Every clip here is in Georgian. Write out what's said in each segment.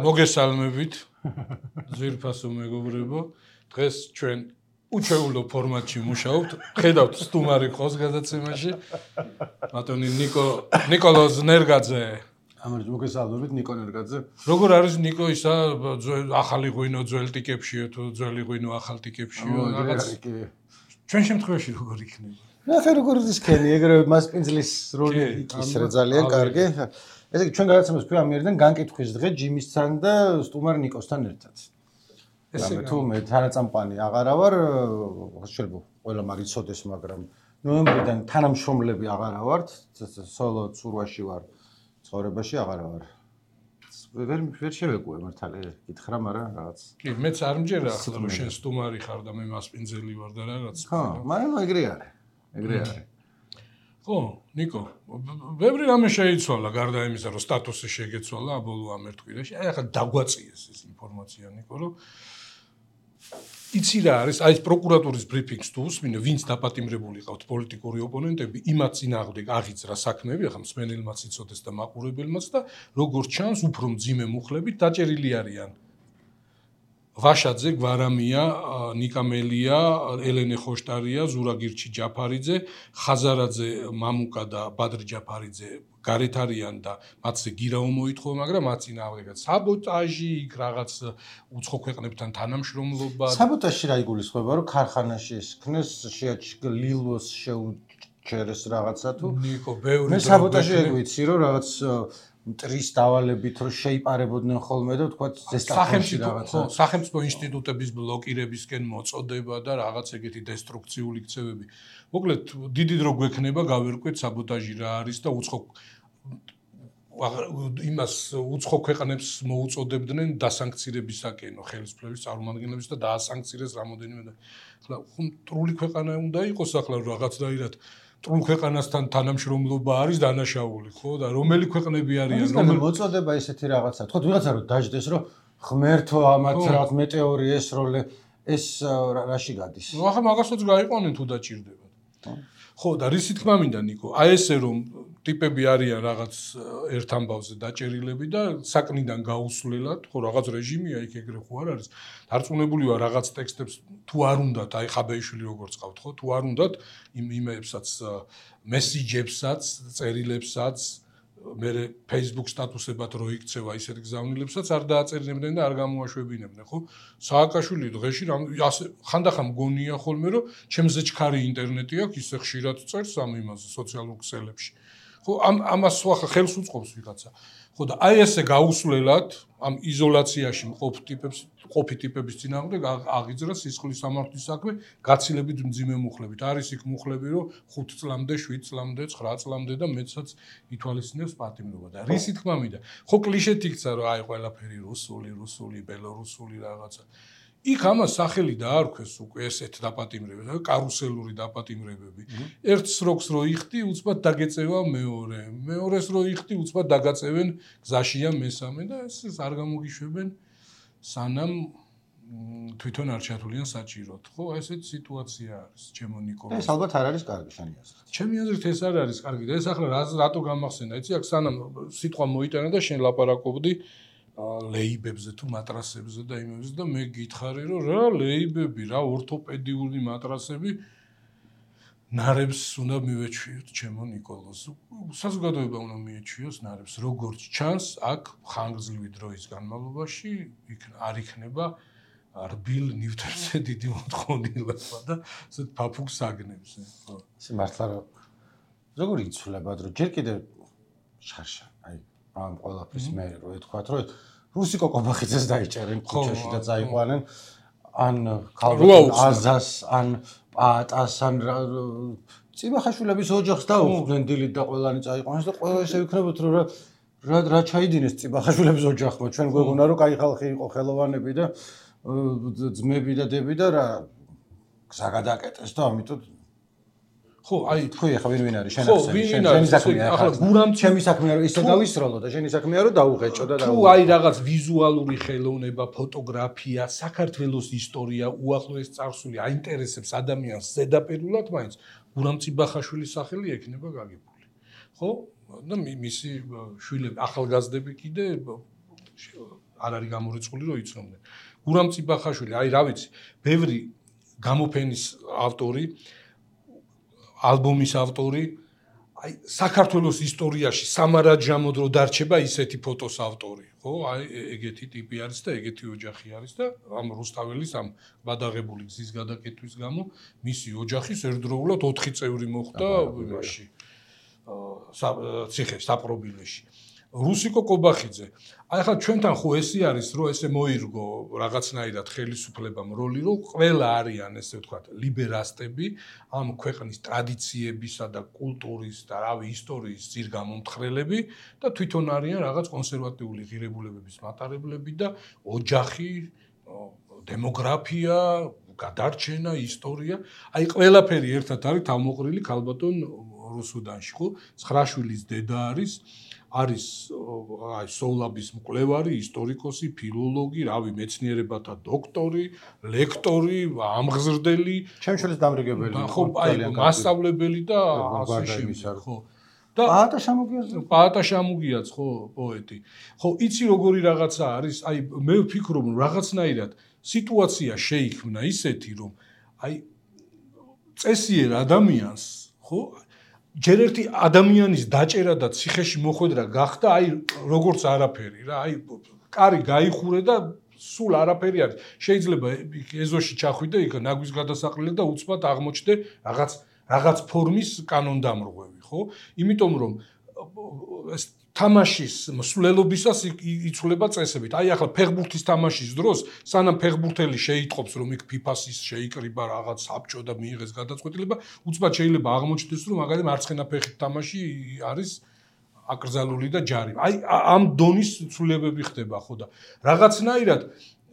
მოგესალმებით ძვირფასო მეგობრებო დღეს ჩვენ უჩვეულო ფორმატში მუშაობთ ხედავთ სტუმარი ყოს გადაცემაში ბატონი ნიკოლოზ ნერგაძე ამერჯ მოგესალმებით ნიკო ნერგაძე როგორ არის ნიკო ისა ახალი ღვინო ძველ ტიკებშიო თუ ძველი ღვინო ახალ ტიკებშიო რაღაც ჩვენ შემთხვევაში როგორ იქნება ნახე როგორ ისქენი ეგრევე მასპინძლის როლი იქისრე ძალიან კარგი ესე იგი ჩვენ გადაცემას ქვია განკითხვის დღე ჯიმისთან და სტუმარ ნიკოსთან ერთად ესე თუ მე თანაწამყვანი აღარა ვარ შეიძლება ყველა მაგიცოდეს მაგრამ ნოემბრიდან თანამშრომლები აღარა ვართ სოლო ცურვაში ვარ ცხოვრებაში აღარა ვარ ვერ შევეკუე მართალი გითხრა მაგრამ რაღაც კი მეც არ მჯერა ახლა რომ შენ სტუმარი ხარ და მე მასპინძელი ვარ და რაღაც ხო მაგრამ ეგრე არის ხო ნიკო ბევრი რამე შეიცვალა გარდა იმისა რომ სტატუსი შეგეცვალა ბოლო ამ ერთ კვირაში აი ახლა დაგვაწიეს ეს ინფორმაცია ნიკო რომ იცი რა არის აი პროკურატურის ბრიფინგს თუ უსმინე ვინც დაპატიმრებული ყავთ პოლიტიკური ოპონენტები იმათ წინააღმდეგ აღიძრა საქმეები ახლა მსმენელმაც იცოდეს და მაყურებელმაც და როგორც ჩანს უფრო მძიმე მუხლებით დაჭერილი არიან ვაშაძე, გვარამია, ნიკამელია, ელენე ხოშტარია, ზურაგირჩი ჯაფარიძე, ხაზარაძე, მამუკა და ბადრი ჯაფარიძე გარეთ არიან და მათზე გირაო მოითხოვა, მაგრამ მათ წინააღმდეგაც საბოტაჟი, იქ რაღაც უცხო ქვეყნებთან თანამშრომლობა. საბოტაჟი რა იგულისხმება, რომ ქარხანაში ესქნეს, ლილოს შეუჩერეს რაღაცა თუ? ნიკო, ბევრი მე საბოტაჟი ეგ ვიცი, რომ რაღაც მტრის დავალებით რომ შეიპარებოდნენ ხოლმე და თქვა ზესტაფონში რაღაცა სახელმწიფო ინსტიტუტების ბლოკირებისკენ მოწოდება და რაღაც ეგეთი დესტრუქციული ქცევები. მოკლედ დიდი დრო გვექნება გავერკვეთ საბოტაჟი რა არის და უცხო ქვეყნებს მოუწოდებდნენ დასანქცირებისაკენო ხელისუფლების წარმომადგენლებს და დაასანქცირეს რამოდენიმე და ახლა მტრული ქვეყანა უნდა იყოს ახლა რაღაცნაირად ტრულ ქვეყანასთან თანამშრომლობა არის დანაშაული, ხო? და რომელი ქვეყნები არიან, რომელი მოწოდება ესეთი რაღაცა. თქო, ვიღაცა რომ დაждდეს, რომ ღმერთო ამათ რაღაც მეტეორი ესროლე, ეს რაში გადის? ნუ ახლა მაგასაც გაიყვანენ თუ დაჭირდებათ. ხო, და რისი თქმა მინდა ნიკო, აი ესე რომ ტიპები არიან რაღაც ერთ ამბავზე დაჭერილები და საკნიდან გაუსვლელად, ხო, რაღაც რეჟიმია იქ ეგრე ხო არ არის. დარწმუნებული ვარ რაღაც ტექსტებს თუ არ უნდათ, აი ხაბეიშვილი როგორც ყავთ, ხო, თუ არ უნდათ იმებსაც, მესიჯებსაც, წერილებსაც, მე Facebook სტატუსებად რო იქცევა ისეთ გზავნილებსაც არ დააწერილებდნენ და არ გამოაშვებინებდნენ, ხო? სააკაშვილი დღეში ასე ხანდახან მგონია ხოლმე რომ ჩემზე ჩქარი ინტერნეტი აქვს, ისე ხშირად წერს ამ იმაზე სოციალურ ქსელებში. ხო, ამას ახლა ხელს უწყობს ვიღაცა. ხო და აი ესე გაუსვლელად ამ იზოლაციაში მყოფი ტიპების წინააღმდეგ აღიძრა სისხლის სამართლის საქმე გაცილებით მძიმე მუხლებით. არის იქ მუხლები, რომ 5 წლამდე, 7 წლამდე, 9 წლამდე და მეცაც ითვალისწინებს პატიმრობა და რისი თქმა მინდა. ხო კლიშეთ იქცა, რომ აი ყველაფერი რუსული, ბელორუსული რაღაცა. იქ ამას სახელი დაარქვეს უკვე ესეთ დაპატიმრებები, კარუსელური დაპატიმრებები. ერთ სროკს რო იხდი, უცბად დაგეწევა მეორე. მეორეს რო იხდი, უცბად დაგაწევენ გზაშია მესამე და ეს არ გამოგიშვებენ სანამ თვითონ არ ჩათვლიან საჭიროდ. ხო, ესეთი სიტუაცია არის, ჩემო ნიკოლოზ. ეს ალბათ არ არის კარგი შენი აზრით. ჩემი აზრით ეს არ არის კარგი და ეს ახლა რატო გამახსენა, იცი, აქ სანამ სიტყვა მოიტანა და შენ ლაპარაკობდი ლეიბებზე თუ მატრასებზე და იმებზე და მე გითხარი რომ რა ლეიბები რა ორთოპედიული მატრასები ნარებს უნდა მივეჩვიოთ ჩემო ნიკოლოზ საზოგადოება უნდა მიეჩვიოს ნარებს როგორც ჩანს აქ ხანგრძლივი დროის განმავლობაში არ იქნება რბილ ნივთებზე დიდი მოთხოვნილება და ესეთ ფაფუქს აგნებს ხო ეს მართლა როგორ იცვლება რომ ჯერ კიდევ შარშა აი ამ ყველაფრის მე რო ეთქვათ რომ რუსი კოკობახიძეს დაიჭერენ ქუჩაში და წაიყვანენ ან ქალბატონ აზას ან პატას ან წიბახაშვილების ოჯახს დაუხდნენ დილით და ყველანი წაიყვანეს და ყველა ესე ვიქნებოთ რომ რა ჩაიდინეს წიბახაშვილების ოჯახმა ჩვენ გვეგონა რომ კაი ხალხი იყო ხელოვანები და ძმები და დები და რა გზა გადაკეტეს და ამიტომ ხო, აი თქვი ახლა ვინ არის შენ შენი საქმეა ახლა გურამ ჩემი საქმეა რომ ისე დავისროლო და შენი საქმეა რომ დაუღეჭო და თუ აი რაღაც ვიზუალური ხელოვნება, ფოტოგრაფია, საქართველოს ისტორია, უახლოეს წარსული აინტერესებს ადამიანს ზედაპირულად მაინც გურამ წიბახაშვილის სახელი ექნება გაგებული. ხო? და მისი შვილები ახალგაზრდები კიდე არ არის გამორიცხული რომ იცნობდნენ. გურამ წიბახაშვილი, აი რა ვიცი, ბევრი გამოფენის ავტორი, ალბომის ავტორი, აი საქართველოს ისტორიაში სამარაჯამოდ რო დარჩება ისეთი ფოტოს ავტორი, ხო? აი ეგეთი ტიპი არის და ეგეთი ოჯახი არის და ამ რუსთაველის ამ ბადაღებული გზის გადაკეტვის გამო მისი ოჯახის ერთდროულად 4 წევრი მოხვდა იმაში ციხე საპრობილეში. რუსიკო კობახიძე. აი ხა ჩვენთან ხო ესე არის, რომ ესე მოირგო რაღაცნაირად ხელისუფლებამ როლი, რომ ყველა არიან ესე ვთქვათ, ლიბერასტები, ამ ქვეყნის ტრადიციებისა და კულტურის და რავი ისტორიის ძირგამომთხრელები და თვითონ არიან რაღაც კონსერვატიული ღირებულებების მატარებლები და ოჯახი, დემოგრაფია, გადარჩენა, ისტორია. აი ყველაფერი ერთად არის თავმოყრილი ქალბატონ რუსუდანში, ხო? 9 შვილის დედა არის აი სოვლაბის მკვლევარი, ისტორიკოსი, ფილოლოგი, რავი, მეცნიერებათა დოქტორი, ლექტორი, ამღზრდელი, ჩემშვილის დამრიგებელი, ხო, აი მასწავლებელი და ასე შემდეგ, ხო. და პაატა შამუგიაც, ხო, პოეტი. ხო, იცი როგორი რაღაცა არის? აი მე ვფიქრობ, რომ რაღაცნაირად სიტუაცია შეიქმნა ისეთი, რომ აი წესიერ ადამიანს, ხო, ჯერ ერთი ადამიანის დაჭერა და ციხეში მოხვედრა გახდა, აი როგორც არაფერი რა, აი კარი გაიხურე და სულ არაფერი არის. შეიძლება ეზოში ჩახვიდე, იქ ნაგვის გადასაყრელი და უცბად აღმოჩნდე რაღაც ფორმის კანონდამრღვევი, ხო? იმიტომ რომ ეს თამაშის მსვლელობისას იცვლება წესებით. აი ახლა ფეხბურთის თამაშის დროს, სანამ ფეხბურთელი შეიტყობს, რომ იქ FIFA-ს შეიკრიბა რაღაც საბჭო და მიიღეს გადაწყვეტილება, უცბად შეიძლება აღმოჩნდეს, რომ მაგალითად მარცხენა ფეხით თამაში არის აკრძალული და ჯარი. აი ამ დონის ცვლილებები ხდება, ხო და რაღაცნაირად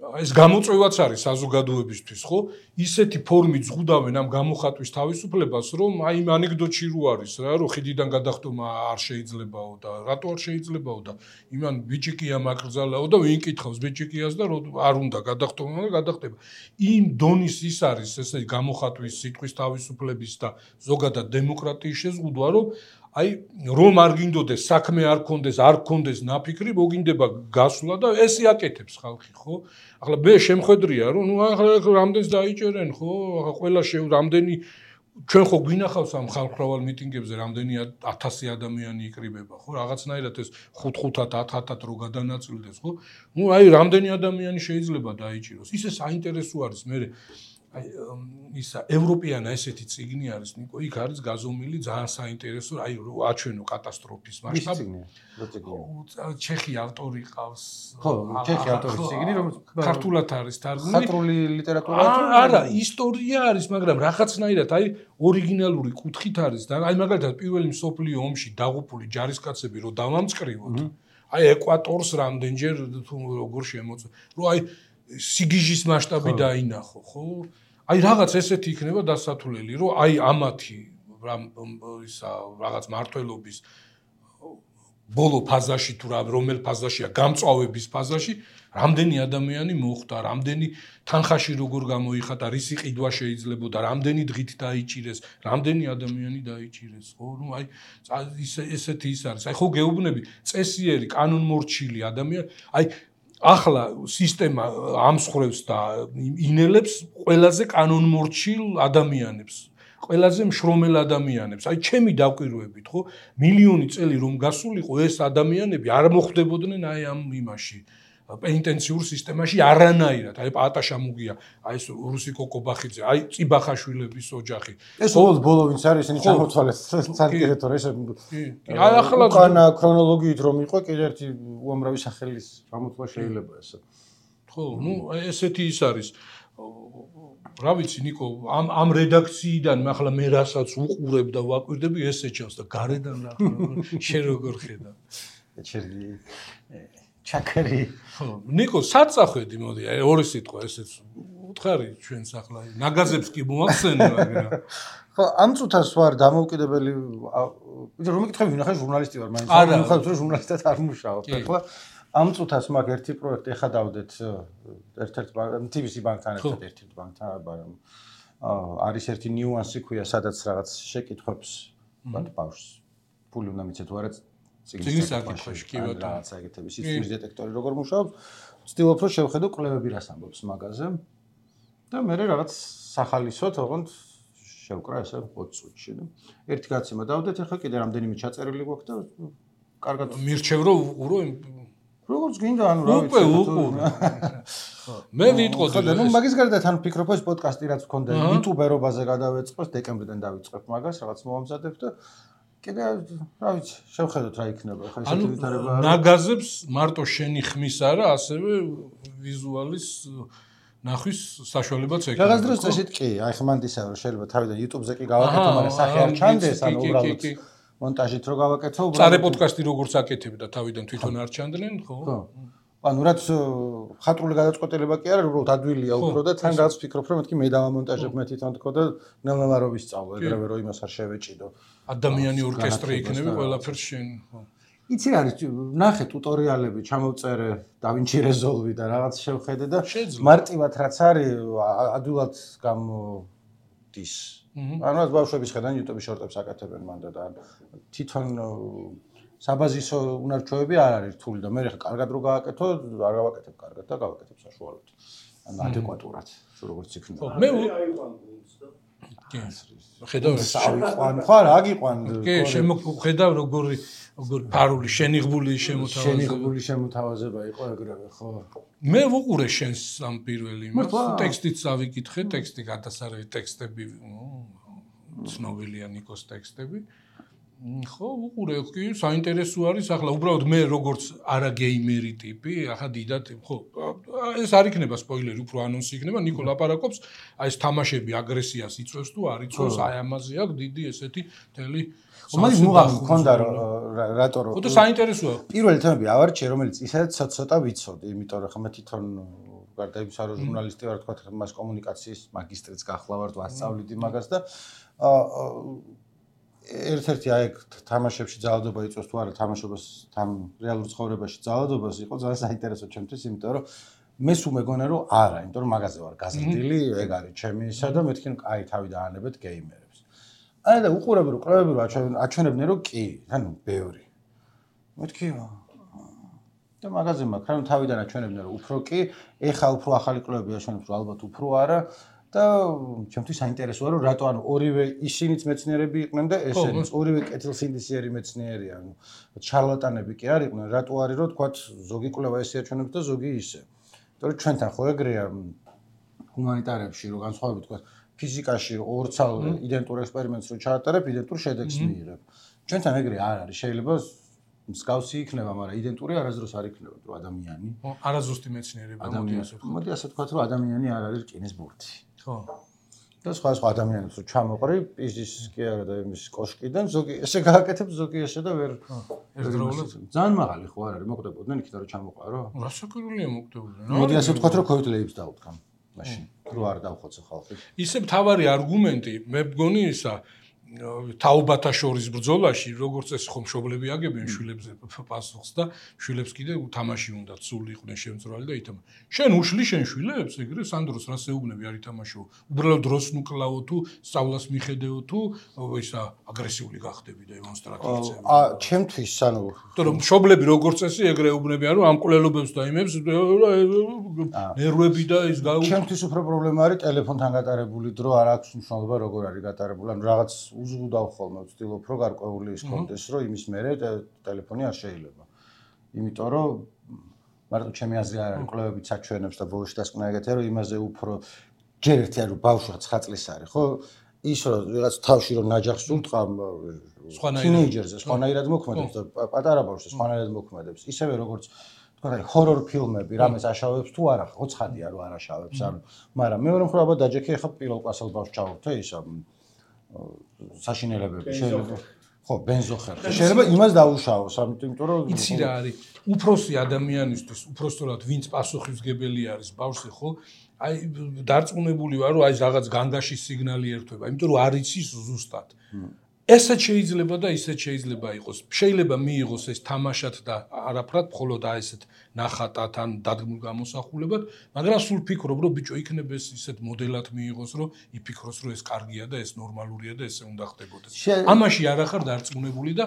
ეს გამოწვევაც არის საზოგადოებისთვის, ხო? ისეთი ფორმით ზღუდავენ ამ გამოხატვის თავისუფლებას, რომ აი იმ ანეკდოტში რო არის რა, რომ ხიდიდან გადახტომა არ შეიძლებაო და რატო არ შეიძლებაო და იმან ბიჭიკია მაკრძალაო და ვინ კითხავს ბიჭიკიას და არ უნდა გადახტომა და გადახტება. იმ დონის ის არის ესე გამოხატვის სიტყვის თავისუფლების და ზოგადად დემოკრატიის შეზღუდვა, რომ აი რომ არ გინდოდეს საქმე არ გქონდეს ნაფიქრი, მოგინდება გასვლა და ესე აკეთებს ხალხი, ხო? ახლა მე შემხედრია, რომ ნუ ახლა რამდენს დაიჭერენ, ხო? ახლა ყველა რამდენი ჩვენ ხო გვინახავს ამ ხალხმრავალ მიტინგებზე რამდენი 1000 ადამიანი იკრიბება, ხო? რაღაცნაირად ეს 5-5-ად 10-10-ად რო გადანაწილდეს, ხო? ნუ აი რამდენი ადამიანი შეიძლება დაიჭიროს. ისე საინტერესო არის მე აი ისა ევროპიანა ესეთი წიგნი არის ნიკო იქ არის გაზომილი ძალიან საინტერესო აი აჩვენო კატასტროფის მასშტაბი ჩეხი ავტორი ყავს ხო ჩეხი ავტორის წიგნი რომ ქართულად არის თარგმნილი ხატრული ლიტერატურა არა ისტორია არის მაგრამ რაღაცნაირად აი ორიგინალური კუთხით არის და აი მაგალითად პირველი მსოფლიო ომში დაღუპული ჯარისკაცები რო დავამწყრივოთ აი ეკვატორს რამდენჯერ თუ როგორ შემოწ რო აი სიგიჟის მასშტაბი დაინახო, ხო? აი რაღაც ესეთი იქნება დასათვლელი, რომ აი ამათი ისა რაღაც მართლობის ბოლო ფაზაში თუ რომელ ფაზაშია გამწვავების ფაზაში რამდენი ადამიანი მოხვდა, რამდენი თანხაში როგორ გამოიხატა, რისი ყიდვა შეიძლებოდა, რამდენი დღით დაიჭირეს, რამდენი ადამიანი დაიჭირეს, ხო? ნუ აი ესეთი ის არის. აი ხო გეუბნები წესიერი, კანონმორჩილი ადამიანი, აი ახლა სისტემა ამსხრევს და ინელებს ყველაზე კანონმორჩილ ადამიანებს, ყველაზე მშრომელ ადამიანებს. აი ჩემი დაკვირვებით, ხო, მილიონი წელი რომ გასულიყო ეს ადამიანები არ მოხვდებოდნენ აი ამ იმაში, პენიტენციურ სისტემაში არანაირად. აი პაატა შამუგია, აი ეს რუსიკო კობახიძე, აი წიბახაშვილების ოჯახი. ეს ბოლო ვინც არის, ისინი ჩამოთვალეს სანკერეთო ეს. აი ახლა უკანა ქრონოლოგიით რომ იყო კიდე ერთი უამრავი სახელის ჩამოთვლა შეიძლება ესე. ხო, ნუ ესეთი ის არის. რა ვიცი ნიკო, ამ რედაქციიდან ახლა მე რასაც უყურებ და ვაკვირდები, ესე ჩანს და გარედან რა შენ როგორ ხედავ? ჩაკერი. ხო, ნიკო, საწახვედი მოდი, აი ორი სიტყვა ესეც უთხარი ჩვენს ახლა ნაგაზებს კი მოახსენე, მაგრამ ხო, ამ წუთას ვარ დამოუკიდებელი, იცი რომ მეკითხები ვინახე ჟურნალისტი ვარ, მაინც ვიხარ რომ ჟურნალისტად არ მუშაობ. ახლა ამ წუთას მაგ ერთი პროექტი ეხადავდეთ ერთ-ერთ TBC ბანკთან ერთად ერთ-ერთ ბანკთან, მაგრამ არის ერთი ნიუანსი ქვია, სადაც რაღაც შეკითხვებს ვთქვათ ბავშვს ფული უნდა მიცეთ, თუ არა წიგნის საკითხში, კი ბატონო. რაღაცა ეგეთების სისტემის დეტექტორი როგორ მუშაობს, ვცდილობ რომ შევხედო კვლევები რას ამბობს მაგაზე და მე რაღაც სახალისოდ ოღონდ შევკრა ესე 20 წუთში და ერთი გაცემა დავდეთ, ახლა კიდე რამდენიმე ჩაწერილი გვაქვს და კარგად მირჩევ რომ უყურო როგორც გინდა ანუ რა ვიცი უყურე მე ვიტყოდი ნუ მაგის გარდა თან ვფიქრობ ეს პოდკასტი რაც მქონდა იუტუბერობაზე გადავეწყოს დეკემბრიდან დავიწყებ მაგას რაღაც მომამზადებ და კიდე რა ვიცი შევხედოთ რა იქნება ხა ესეთი ვითარება ნაგაზებს მარტო შენი ხმის არა ასევე ვიზუალის ნახვის საშუალებაც ექნება რაღაც დროს წესით კი აი ხმანდისა რომ შეიძლება თავიდან YouTube-ზე კი გავაკეთო მაგრამ სახე არ ჩანდეს ანუ უბრალოდ მონტაჟით რო გავაკეთო უბრალოდ წარე პოდკასტი როგორც აკეთებდა თავიდან თვითონ არ ჩანდნენ ხო ანუ რაც ხატრული გადაწყვეტილება კი არა უბრალოდ ადვილია უფრო და თან რაღაც ვფიქრობ რომ მეთქი მე დავამონტაჟებ მე თვითონ თქო და ნელ-ნელა სწავლო ეგრევე რომ იმას არ შევეჭიდო ადამიანი ორკესტრი იქნება ყველაფერს შენ ხო იცი არის ნახე ტუტორიალები ჩამოვწერე დავინჩი რეზოლვი და რაღაც შევხედე და მარტივად რაც არის ადვილად გამოდის ანუ ეს ბავშვების ხედან YouTube-ის შორტებს აკეთებენ მანდ და თვითონ საბაზისო უნარჩვევები არ არის რთული და მე ხა კარგად რო გააკეთო არ გავაკეთებ კარგად და გავაკეთებ საშუალოდ ანუ ადეკვატურად როგორც იქნება მე ხედავ სავიყვან ხო რა აგიყვან კი ხედავ როგორი ფარული შენიღბული შემოთავაზება იყო ეგრევე ხო მე ვუყურე შენს ამ პირველ იმას ტექსტიც ავიკითხე ტექსტი გადასარევი ტექსტები ცნობილია ნიკოს ტექსტები ხო ვუყურე კი საინტერესო არის ახლა უბრალოდ მე როგორც არა გეიმერი ტიპი ახლა დიდად ხო ეს არ იქნება სპოილერი უფრო ანონსი იქნება ნიკო ლაპარაკობს აი ეს თამაშები აგრესიას იწვევს თუ არ იწვევს აი ამაზე აქვს დიდი ესეთი მთელი მაგის მუღამი მქონდა რატო ხო და საინტერესოა პირველი თემები ავარჩიე რომელიც ისაც ცოტა ვიცოდი იმიტომ რომ ხა მე თვითონ გარდა იმისა რომ ჟურნალისტი ვარ თქვა მას კომუნიკაციის მაგისტრიც გახლავართ ვასწავლით იმაგას და ერთ-ერთი აი თამაშებში ძალადობა იწვევს თუ არა თამაშობას თან რეალურ ცხოვრებაში ძალადობას იყო ძალიან საინტერესო ჩემთვის იმიტომ რომ მე სულ მეგონა რომ არა იმიტომ რომ მაგაზე ვარ გაზრდილი ეგ არის ჩემი ისა და მეთქი აი თავი დაანებეთ გეიმერებს აი და უყურები რომ კვლევები რომ აჩვენებდნენ რომ კი ანუ ბევრი მეთქი და მაგაზე მაქვს ანუ თავიდან აჩვენებდნენ რომ უფრო კი ეხა უფრო ახალი კვლევები აჩვენებს რომ ალბათ უფრო არა და ჩემთვის საინტერესოა რომ რატო ანუ ორივე ისინიც მეცნიერები იყვნენ და ესენიც ორივე კეთილსინდისიერი მეცნიერია ანუ შარლატანები კი არ იყვნენ რატო არის რომ თქვა ზოგი კვლევა ესე აჩვენებს და ზოგი ისე იმიტომ რომ ჩვენთან ხო ეგრეა ჰუმანიტარებში რომ განსხვავებით თქვა ფიზიკაში ორცალ იდენტურ ექსპერიმენტს რო ჩაატარებ იდენტურ შედეგს მიიღებ ჩვენთან ეგრე არ არის შეიძლება მსგავსი იქნება მაგრამ იდენტური არასდროს არ იქნება რომ ადამიანი არაზუსტი მეცნიერება მოდი ასე ვთქვათ რომ ადამიანი არ არის რკინის ბურთი ხო და სხვა ადამიანებს რო ჩამოყრი პიზის კი არა და იმის კოშკიდან ზოგი ესე გააკეთებ ზოგი ესე და ვერ ერთდროულად ძალიან მაღალი ხო არ არის მოკვდებოდნენ იქიდან რომ ჩამოყარო რასაკურველია მოკვდებოდნენ მოდი ასე ვთქვათ რომ COVID ლეიბს დავუდგამ მაშინ რო არ დავხოცე ხალხი ისე მთავარი არგუმენტი მე მგონი ისა თაობათა შორის ბრძოლაში როგორც ეს ხომ მშობლები აგებენ შვილებზე პასუხს და შვილებს კიდე თამაში უნდა ცული იყვნენ შემწრალი და ითამა შენ უშლი შენ შვილებს ეგრე სანდროს რას ეუბნები არ ითამაშო უბრალოდ დროს ნუკლაო თუ სწავლას მიხედეო თუ ისა აგრესიული გახდები და დემონსტრაციებზე ჩემთვის ანუ იმიტომ რომ მშობლები როგორც წესი ეგრე ეუბნებიან რომ ამ კვლელობებს და იმებს ნერვები და ის ჩემთვის უფრო პრობლემა არის ტელეფონთან გატარებული დრო არ აქვს მნიშვნელობა როგორ არის გატარებული ანუ რაღაც უზრუნავ ხოლმე ვცდილობ რომ გარკვეული ის კონდეს რომ იმის მერე ტელეფონი არ შეიძლება იმიტომ რომ მარტო ჩემი აზრი არ არის კვლევებიც აჩვენებს და ბოლოში დასკვნა ეგეთია რომ იმაზე უფრო ჯერ ერთი არის ბავშვი 9 წლის არის ხო ის რომ რაღაც თავში რომ ნაჯახს უტყა თინეიჯერზე სხვანაირად მოქმედებს და პატარა ბავშვი სხვანაირად მოქმედებს ისევე როგორც თქვა აი ჰორორ ფილმები რამეს აშავებს თუ არა ხო ცხადია რომ არ აშავებს ანუ მაგრამ მეორე მხრივ აბა დაჯექი ახლა პირველ კლასელ ბავშვს ჩავუერთე ისა საშინელებები შეიძლება ხო ბენზოხერხი შეიძლება იმას დაუშავოს ამიტომ რომ იცი რა არის უფროსი ადამიანისთვის უფროსწორად ვინც პასუხისმგებელი არის ბავშვი ხო აი დარწმუნებული ვარ რომ აი რაღაც განგაშის სიგნალი ერთვება იმიტომ რომ არ იცის ზუსტად ესეც შეიძლება და ისეც შეიძლება იყოს შეიძლება მიიღოს ეს თამაშად და არაფრად მხოლოდ აი ესეთ ნახატად ან დადგმულ გამოსახულებად მაგრამ სულ ფიქრობ რომ ბიჭო იქნება ეს ისეთ მოდელად მიიღოს რომ იფიქროს რომ ეს კარგია და ეს ნორმალურია და ესე უნდა ხდებოდეს ამაში არ ახარ დარწმუნებული და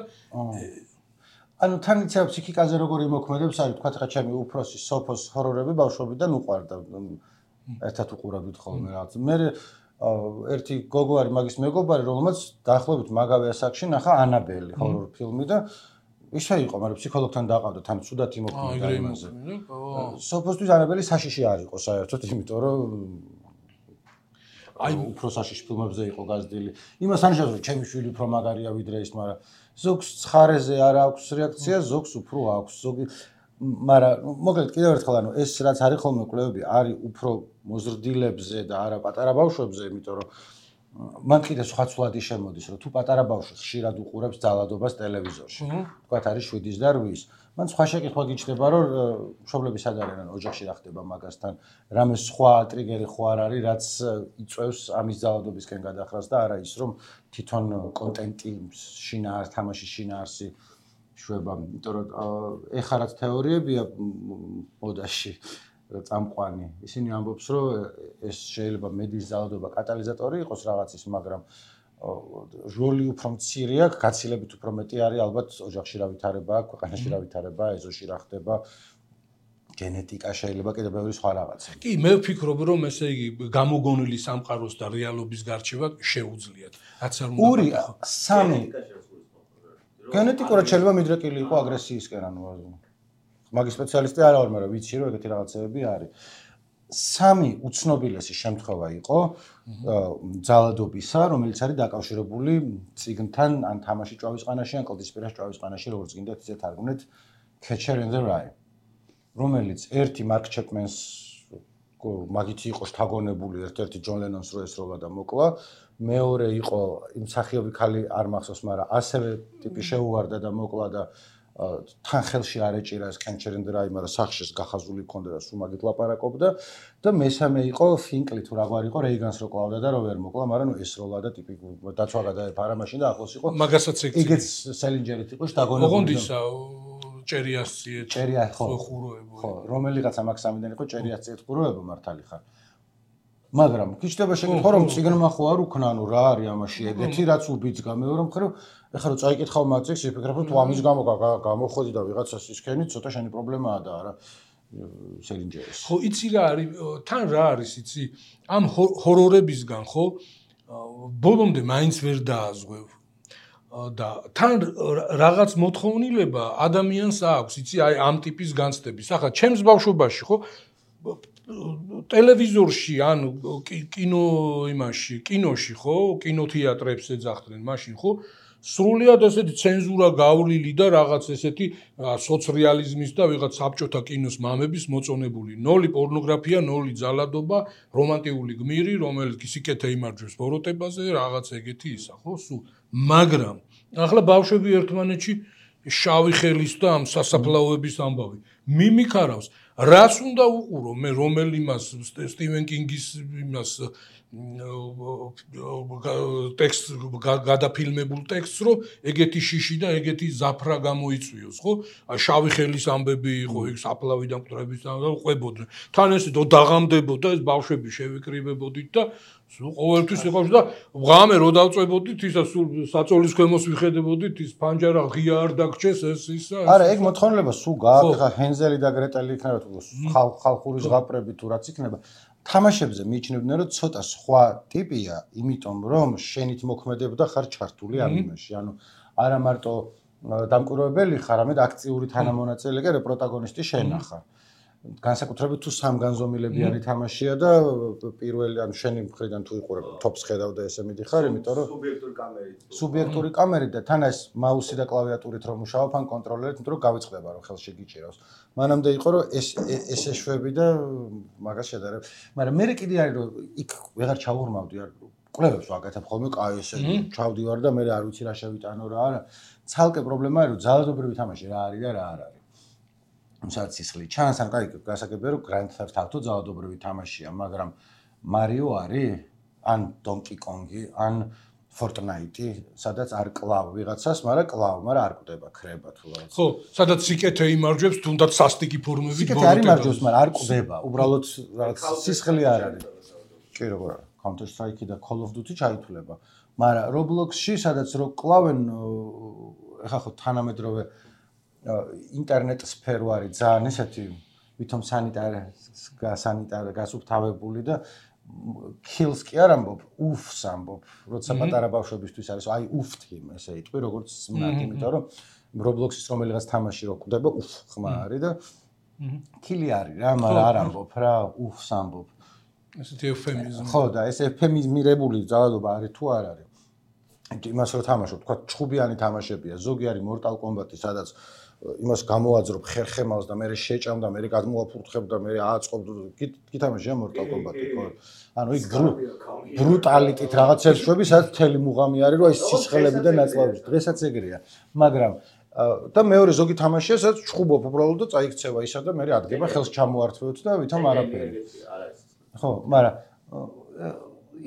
ანუ თან იცავ ფსიქიკაზე როგორ იმოქმედებს, არის თქვა ხა ჩემი უფროსი სოფოს ჰორორები ბავშვობიდან უყვარდა. ერთად უყურავდით ხოლმე რაღაც. მე ერთი გოგო არის მაგის მეგობარი, რომელმაც დაახლოებით მაგავე ასაკში ნახა ანაბელი ჰორორ ფილმი და ისე იყო, მაგრამ ფსიქოლოგთან დაყავდა, თან ცუდად იმოქმედა იმაზე. სოფოსთვის ანაბელი საშიში არ იყო საერთოდ, იმიტომ რომ აი უფრო საშიში ფილმებზე იყო გაზრდილი. იმას ანიშნავს, რომ ჩემი შვილი უფრო მაგარია ვიდრე ის, მაგრამ ზოგს ცხარეზე არ აქვს რეაქცია, ზოგს უფრო აქვს. ზოგი მაგრამ მოკლედ კიდევ ერთხელ ანუ ეს რაც არის ხოლმე კვლევები არის უფრო მოზრდილებზე და არა პატარა ბავშვებზე, იმიტომ რომ მან კიდე სხვა ცვლადი შემოდის, რომ თუ პატარა ბავშვი ხშირად უყურებს ძალადობას ტელევიზორში, თქვათ არის 7-ის და 8-ის, მან სხვა შეკითხვა გიჩნდება, რომ მშობლები სად არიან, ოჯახში რა ხდება მაგასთან, რამე სხვა ტრიგერი ხო არ არის, რაც იწვევს ამის ძალადობისკენ გადახრას და არა ის, რომ თვითონ კონტენტი შინაარსი, თამაშის შინაარსი შვება, იმიტომ რომ ეხლა რაც თეორიებია მოდაში წამყვანი. ისინი ამბობს, რომ ეს შეიძლება მედიის ძალადობა კატალიზატორი იყოს რაღაცის, მაგრამ როლი უფრო მცირე აქვს, გაცილებით უფრო მეტი არის ალბათ ოჯახში რა ვითარება, ქვეყანაში რა ვითარება, ეზოში რა ხდება, გენეტიკა შეიძლება კიდევ ბევრი სხვა რაღაცა. კი, მე ვფიქრობ, რომ ესე იგი გამოგონილი სამყაროს და რეალობის გარჩევა შეუძლიათ. რაც არ უნდა. ორი, სამი. გენეტიკურად შეიძლება მიდრეკილი იყო აგრესიისკენ, ანუ მაგის სპეციალისტი არ ვარ, მაგრამ ვიცი რომ ეგეთი რაღაცები არის. სამი უცნობილესი შემთხვევა იყო ძალადობისა, რომელიც არის დაკავშირებული წიგნთან, ან თამაში ჭვავისყანაში, ან კლდისპირას ჭვავისყანაში, როგორც გინდათ ისე თარგმნეთ, Catcher in the Rye, რომელიც ერთი მარკ ჩეპმენს მაგითი იყო შთაგონებული, ერთ-ერთი ჯონ ლენონს რო ესროლა და მოკლა, მეორე იყო იმ მსახიობი ქალი არ მახსოვს, მაგრამ ასევე ტიპი შეუვარდა და მოკლა და თან ხელში არ ეჭირა ეს Catcher in the Rye, მაგრამ სახშეს გახაზული ჰქონდა და სულ მაგით ლაპარაკობდა და მესამე იყო ფინკლი თუ რაგვარ იყო რეიგანს რო კლავდა და რო ვერ მოკლა, მაგრამ ესროლა და ტიპი დაცვა გადაეფარა მაშინ და ახლოს იყო. მაგასაც ეგეც სელინჯერით იყო შთაგონებული. ოღონდისა ჭერიასციეთ ხუროებო. ხო, რომელიღაცა მაგ სამიდან იყო ჭერიასციეთ ხუროებო მართალი ხარ. მაგრამ გიჩნდება შეკითხვა რომ ციგნმა ხო არ უქნა, ანუ რა არის ამაში ეგეთი რაც უბიძგა, მეორე მხრივ ეხლა რომ წაიკითხავ მაგზექს, იფიქრებ რომ თუ ამის გამო გამოხვედი და ვიღაცას ისქენი, ცოტა შენი პრობლემაა და არა სელინჯერის. ხო, იცი რა არის, თან რა არის, იცი, ამ ჰორორებისგან ხო ბოლომდე მაინც ვერ დააზღვევ. და თან რაღაც მოთხოვნილება ადამიანს აქვს, იცი, აი ამ ტიპის განცდების. ახლა ჩემს ბავშვობაში ხო ტელევიზორში ან კინოში ხო, კინოთეატრებს ეძახდნენ მაშინ ხო, სრულიად ესეთი ცენზურა გავლილი და რაღაც ესეთი სოციალიზმის და ვიღაც საბჭოთა კინოს მამების მოწონებული. 0 პორნოგრაფია, 0 ძალადობა, რომანტიკული გმირი, რომელიც სიკეთე იმარჯვებს ბოროტებაზე, რაღაც ეგეთი ისა, ხო, სულ. მაგრამ ახლა ბავშვები ერთმანეთში შავი ხელის და ამ სასაფლაოების ამბავი მიმიქარავს. რას უნდა უყურო მე რომელიმას სტივენ კინგის იმას ტექსტ გადაფილმებულ ტექსტს რომ ეგეთი შიში და ეგეთი ზაფრა გამოიწვიოს ხო შავი ხელის ამბები იყო იქ საფლავიდან მკვდრების და ყვებოდნენ თან ესე დაღამდებოდა ეს ბავშვები შევიკრიბებოდით და ყოველთვის იყავს და ღამე რო დავწვებოდით ისა სულ საწოლის ქვემოს ვიხედებოდით ის ფანჯარა ღია არ დაგჭეს ეს ისა არა ეგ მოთხოვნილება სულ გააკეთა ხა ჰენზელი და გრეტელი იქნება თუ ხალხური ზღაპრები თუ რაც იქნება თამაშებზე მიიჩნევდნენ რომ ცოტა სხვა ტიპია იმიტომ რომ შენით მოქმედებდა ხარ ჩართული ამ იმაში ანუ არა მარტო დამკვირვებელი ხარ არამედ აქტიური თანამონაწილე კი რა პროტაგონისტი შენ ხარ განსაკუთრებით თუ სამგანზომილებიანი თამაშია და პირველი ანუ შენი მხრიდან თუ იყურებ თოპს ხედავ და ესე მიდიხარ იმიტომ რომ სუბიექტური კამერით და თან ეს მაუსი და კლავიატურით რომ მუშაობ ან კონტროლერით იმიტომ რომ გავიწყდება რომ ხელში გიჭირავს მანამდე იყო რომ ეს ეშვები და მაგას შედარებ მაგრამ მე კიდე არის რომ იქ ვეღარ ჩავურმავდი არ კვლევებს ვაკეთებ ხოლმე კაი ესე ჩავდივარ და მე არ ვიცი რა შევიტანო რა არა ცალკე პრობლემა არის რომ ძალადობრივი თამაში რა არის და რა არ არის სადაც სისხლი ჩანს ან კაი გასაგებია რომ Grand Theft Auto ძალადობრივი თამაშია მაგრამ Mario არის ან Donkey Kong-ი ან Fortnite-ი სადაც არ კლავ ვიღაცას მაგრამ კლავ მაგრამ არ კვდება ქრება თუ რაღაც ხო სადაც სიკეთე იმარჯვებს თუნდაც სასტიკი ფორმებით სიკეთე არ იმარჯვებს მაგრამ არ კვდება უბრალოდ რაღაც სისხლი არ არის კი როგორ არის Counter Strike-ი და Call of Duty ჩაითვლება მაგრამ Roblox-ში სადაც რო კლავენ ეხა ხო თანამედროვე ინტერნეტ სფერო არის ძალიან ესეთი ვითომ სანიტარ გასუფთავებული და kills კი არ ამბობ, ufs ამბობ, როცა პატარა ბავშვებისთვის არის, აი uftim ესე იტყვი, როგორც სმნად, იმიტომ რომ Roblox-ის რომელიღაც თამაში რო კვდება, ხმა არის და kill-ი არის რა, მაგრამ არ ამბობ რა, ufs ამბობ. ესეთი ეუფემიზმი. ხო, და ეს ეუფემიზმირებული ძალადობა არის თუ არ არის? იმას რო თამაშობ, თქვა ჩხუბიანი თამაშებია, ზოგი არის Mortal Kombat-ი, სადაც იმას გამოაძრობ ხერხემალს და მე შეჭამ და მე გადმოაფურთხებ და მე ააწყობ გითამაშია Mortal Kombat-ი, ხო? ანუ იქ ბრუტალიტით რაღაცებს შვები, სადაც მთელი მუღამი არის, რომ აი სისხლები და ნაწლავები. დღესაც ეგრეა. მაგრამ და მეორე ზოგი თამაშია, სადაც ჩხუბობ უბრალოდ და წაიქცევა ისა და მე ადგება ხელს ჩამოართვევთ და ვითომ არაფერი. ხო, მაგრამ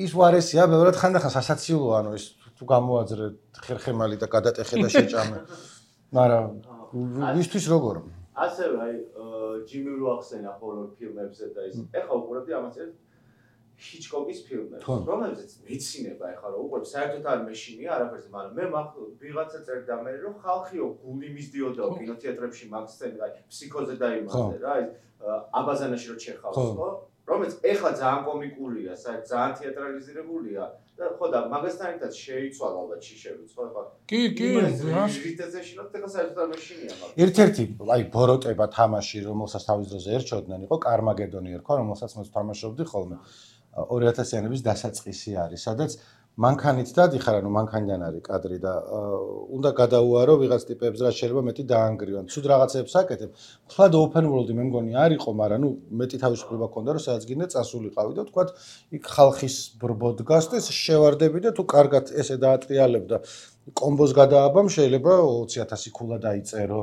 ის ვარესია, ბევრად ხანდახან სასაცილოა, ანუ ის თუ გამოაძრე ხერხემალი და გადატეხე და შეჭამე. მაგრამ ვისთვის როგორ? ასევე აი ჯიმი რო ახსენა ჰორორ ფილმებზე და ის ეხლა უყურებდი ამას ჰიჩკოკის ფილმებს, რომელზეც მეცინება ეხლა რო უყურებ, საერთოდ არ მეშინია არაფერზე, მაგრამ მე ვიღაცა წერდა მე რომ ხალხიო გული მისდიოდაო კინოთეატრებში მაგ სცენაზე, აი ფსიქოზე დაიმართა რა, ის აბაზანაში რო ჩეხავს, ხო? რომელიც ეხლა ძალიან კომიკურია, საერთოდ ძალიან თეატრალიზირებულია და ხო და მაგასთან ერთად შეიცვალა ალბათ შიშებიც, ხო ეხლა. კი, ვიტეცეშინოთ ეხლა საერთოდ არ მეშინია მაგ. ერთ-ერთი აი ბოროტება თამაში, რომელსაც თავის დროზე ერჩოდნენ, იყო Carmageddon-ი ერქვა, რომელსაც მე თამაშობდი ხოლმე. 2000-იანების დასაწყისი არის, სადაც მანქანით დადიხარ, ანუ მანქანიდან არის კადრი და უნდა გადაუარო ვიღაც ტიპებს, რაც შეიძლება მეტი დაანგრიონ. ცუდ რაღაცებს აკეთებ. თქვა open world-ი მე მგონი არ იყო, მაგრამ ნუ მეტი თავისუფლება ქონდა, რომ სადაც გინდა წასულიყავი და თქვა იქ ხალხის ბრბო დგას და შევარდები და თუ კარგად ესე დაატრიალებ და კომბოს გადააბამ, შეიძლება 20000 ქულა დაიწერო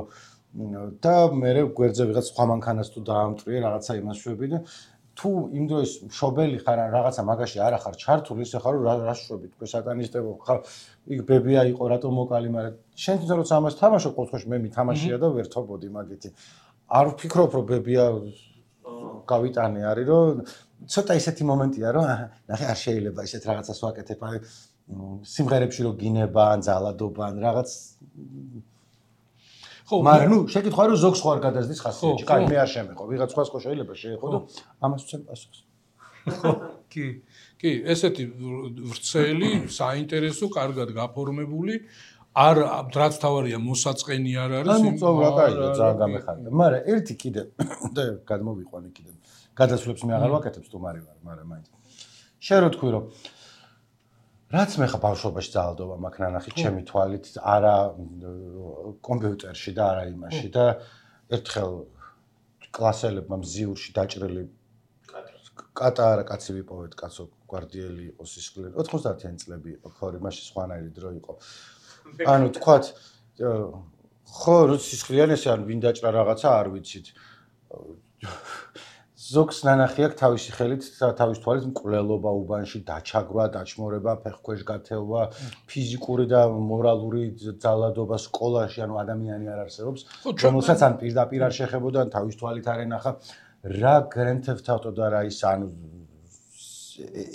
და მე გვერდზე ვიღაც სხვა მანქანას თუ დაამტვრიე, რაღაცა იმას შვები და თუ იმ დროს მშობელი ხარ ან რაღაცა მაგაში არ ახარ ჩართული, ისე ხარ რომ რა შვები თქვენ სატანისტებო ხარ, იქ ბებია იყო რატომ მოკალი, მაგრამ შენ თვითონ როცა ამას თამაშობ, ყოველთვის მე მითამაშია და ვერ თობოდი მაგითი. არ ვფიქრობ რომ ბებია გავიტანე არის რომ ცოტა ისეთი მომენტია რომ ნახე არ შეიძლება ისეთ რაღაცას ვაკეთებ, აი სიმღერებში რომ გინება ან ძალადობა ან რაღაც ხო, მაგრამ ნუ შეკითხვა რომ ზოგს ხო არ გადაზდის ხასიათში. კაი, მე არ შემეყო. ვიღაც სხვას ხო შეიძლება შეეხო და ამას ვცემ პასუხს. ხო, კი, ესეთი ვრცელი, საინტერესო, კარგად გაფორმებული, არ რაც თავარია მოსაწყენი არ არის. ანუ წოვლა კაია, ძალიან გამეხარდა. მაგრამ ერთი კიდე და გადმოვიყვანე კიდე. გადასვლებს მე აღარ ვაკეთებ სტუმარი ვარ, მაგრამ მაინც. შენ რო თქვი რომ რაც მე ხა ბავშვობაში ძალადობა მაქვს ნანახი ჩემი თვალით არა კომპიუტერში და არა იმაში და ერთხელ კლასელებმა მზიურში დაჭრილი კატარა კაცი ვიპოვეთ კაცო გვარდიელი იყო სისხლი 90-იანი წლები იყო ხო იმაში სხვანაირი დრო იყო ანუ თქვათ ხო სისხლიანი ესე ან ვინ დაჭრა რაღაცა არ ვიცით ზოგს ნანახი აქვს თავისი ხელით, თავის თვალით მკვლელობა უბანში, დაჩაგვრა, დაჩმორება, ფეხქვეშ გათელვა, ფიზიკური და მორალური ძალადობა სკოლაში, ანუ ადამიანი არ არსებობს, რომელსაც ან პირდაპირ არ შეხებოდა, ან თავის თვალით არ ენახა, რა გრენთებთ ავტო და რა ის ანუ